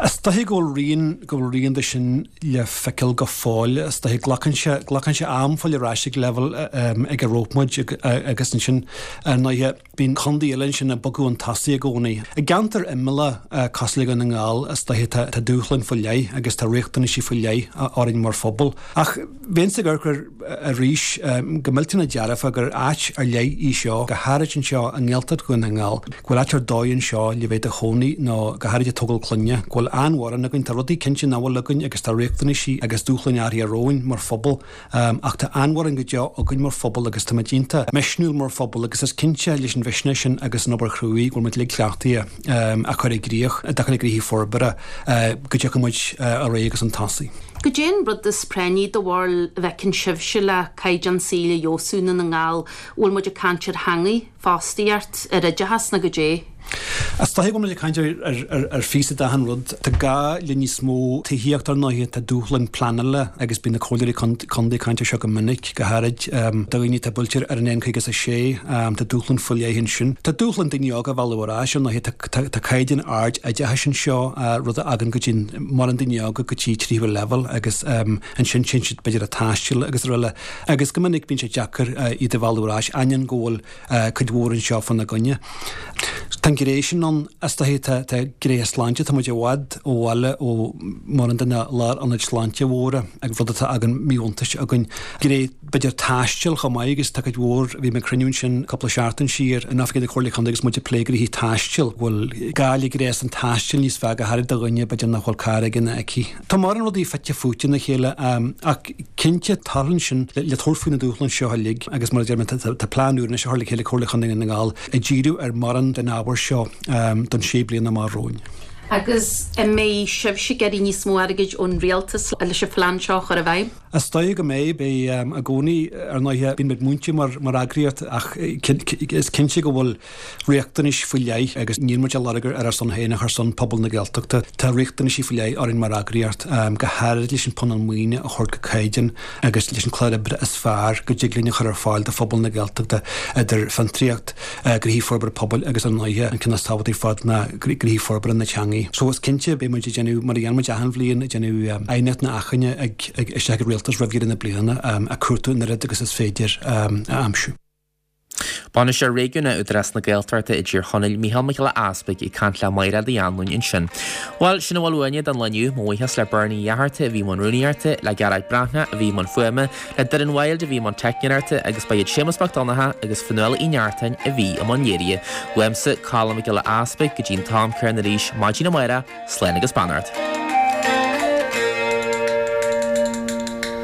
Is dóiche go bhfuil rian, go bhfuil rian de sin le feiceáil go fóill. Is dóiche glacann sé, glacann sé am fáil ar ais ag leibhéal ag a raibh muid agus ansin ar ndóighe, Bíonn contae eile ansin ag bogadh chun tosaigh i gcónaí. I gceantar imeallach cosúil le Dún na nGall, is dóiche, tá dúshláin faoi leith agus tá riachtanaisí faoi leith orainn mar phobal. Ach bheinnse ag amharc air arís go millteanach dearfa gur áit ar leith í seo, go háirid anseo i nGaeltacht Dhún na nGall, go bhfuil áit ar dóigh anseo le bheith i do chónaí nó go háirid ag tógáil clainne, go bhfuil an-mhórán againn, tá rudaí cinnte nach bhfuil againn agus tá riachtanaisí agus dúshláin áirithe romhainn mar phobal. Ach tá an-mhórán go deo againn mar phobal agus táimid iontach misniúil mar phobal agus is cinnte leis an mhisneach sin agus an obair chruaidh go bhfuil muid uilig cleachtaithe a chur i gcrích i dtaca le gnoithí forbartha go dtiocfaidh muid ar aghaidh agus chun tosaigh.
Goidé an rud is práinní do bharúil a bhfeiceann sibhse le caighdeán saoil a fheabhsú i nDún na nGall? Bhfuil muid ag caint ar theangaidh? fostaíocht, ar oideachas nó goidé.
Is dóiche go bhfuil muid ag caint ar phíosa d'achan rud. Tá gá le níos mó tithíochta ar ndóighe, tá dúshláin pleanála agus bíonn na comhairleoirí contae ag caint ar seo go minic, go háirid do dhaoine atá buailte ar an N56, tá dúshláin faoi leith ansin. Tá dúshláin daoine óga a mhealladh ar ais ar ndóighe, tá caighdeán ard oideachais anseo, rud a fhágann go dtéann mórán daoine óga go dtí tríú leibhéal agus ansin téann siad b'fhéidir ag taisteal agus araile. Agus go minic bíonn sé deacair iad a mhealladh ar ais, ainneoin go bhfuil cuid mhór anseo fána gcoinne. Tá an ghné sin ann, is dóiche, tá gnéithe sláinte, tá muid i bhfad ó bhaile ó mórán de na lárionaid sláinte mhóra agus rud atá ag míbhuntáiste againn. Gné b'fhéidir taistil chomh maith agus tá cuid mhór, bhí mé ag cruinniú ansin cúpla seachtain siar in oifigí na Comhairle Contae agus muid ag plé gnoithí taistil, go bhfuil gá le gréasán taistil níos fearr go háirid do dhuine b'fhéidir nach bhfuil carr aige nó aici. Tá mórán rudaí fite fuaite ina chéile ach cinnte tarlaíonn sin le tabhairt faoi na dúshláin seo uilig agus mar a deir mé tá plean úr anois á chur le chéile ag Comhairle Chontae Dhún na nGall ag díriú ar mórán den ábhar seo don sé bliana amach romhainn.
Agus an mbeidh sibhse ag iarraidh níos mó airgid ón rialtas leis an phlean seo a chur i bhfeidhm?
Is dóigh go mbeidh, beidh i gcónaí ar ndóighe bíonn muid múinte mar mar eagraíocht ach is cinnte go bhfuil riachtanais faoi leith agus níl muid á lorg ar ár son féin ach ar son pobal na Gaeltachta. Tá riachtanaisí faoi leith orainn mar eagraíocht, go háirid leis an phunann maoine a thabhairt go caighdeán agus leis an clár oibre is fearr go dtig linn a chur ar fáil do phobal na Gaeltachta idir fiontraíocht, gnoithí forbartha pobail agus ar ndóighe an ceann is tábhachtaí ar fad ná gnoithí forbartha na teangaí. So is cinnte beidh muid ag déanamh, mar a dhéanann muid achan bhliain, ag déanamh aighneacht nó achainí ag isteach ag an Rialtas roimh dheireadh na bliana ag cuartú an oiread agus is féidir a aimsiú.
Bainisteoir Réigiúnach Údarás na Gaeltachta i dTír Chonaill, Mícheál Mac Giolla Easpaig ag caint le Mairéad Uí Anluain ansin. Bhuel, sin a bhfuil uainne don lá inniu. Mo bhuíochas le Bernie Uí Fhatharta a bhí i mbun rúnaíochta, le Gearóid Breathnach a bhí i mbun fuaime, le Doireann Wilde a bhí i mbun teicneoireachta agus ba iad Séamus Mac Donncha agus Fionnuala Uí Neachtain a bhí i mbun léirithe. Uaimse, Colm Mac Giolla Easpaig, go dtí an t-am céanna arís maidin amárach, slán agus beannacht.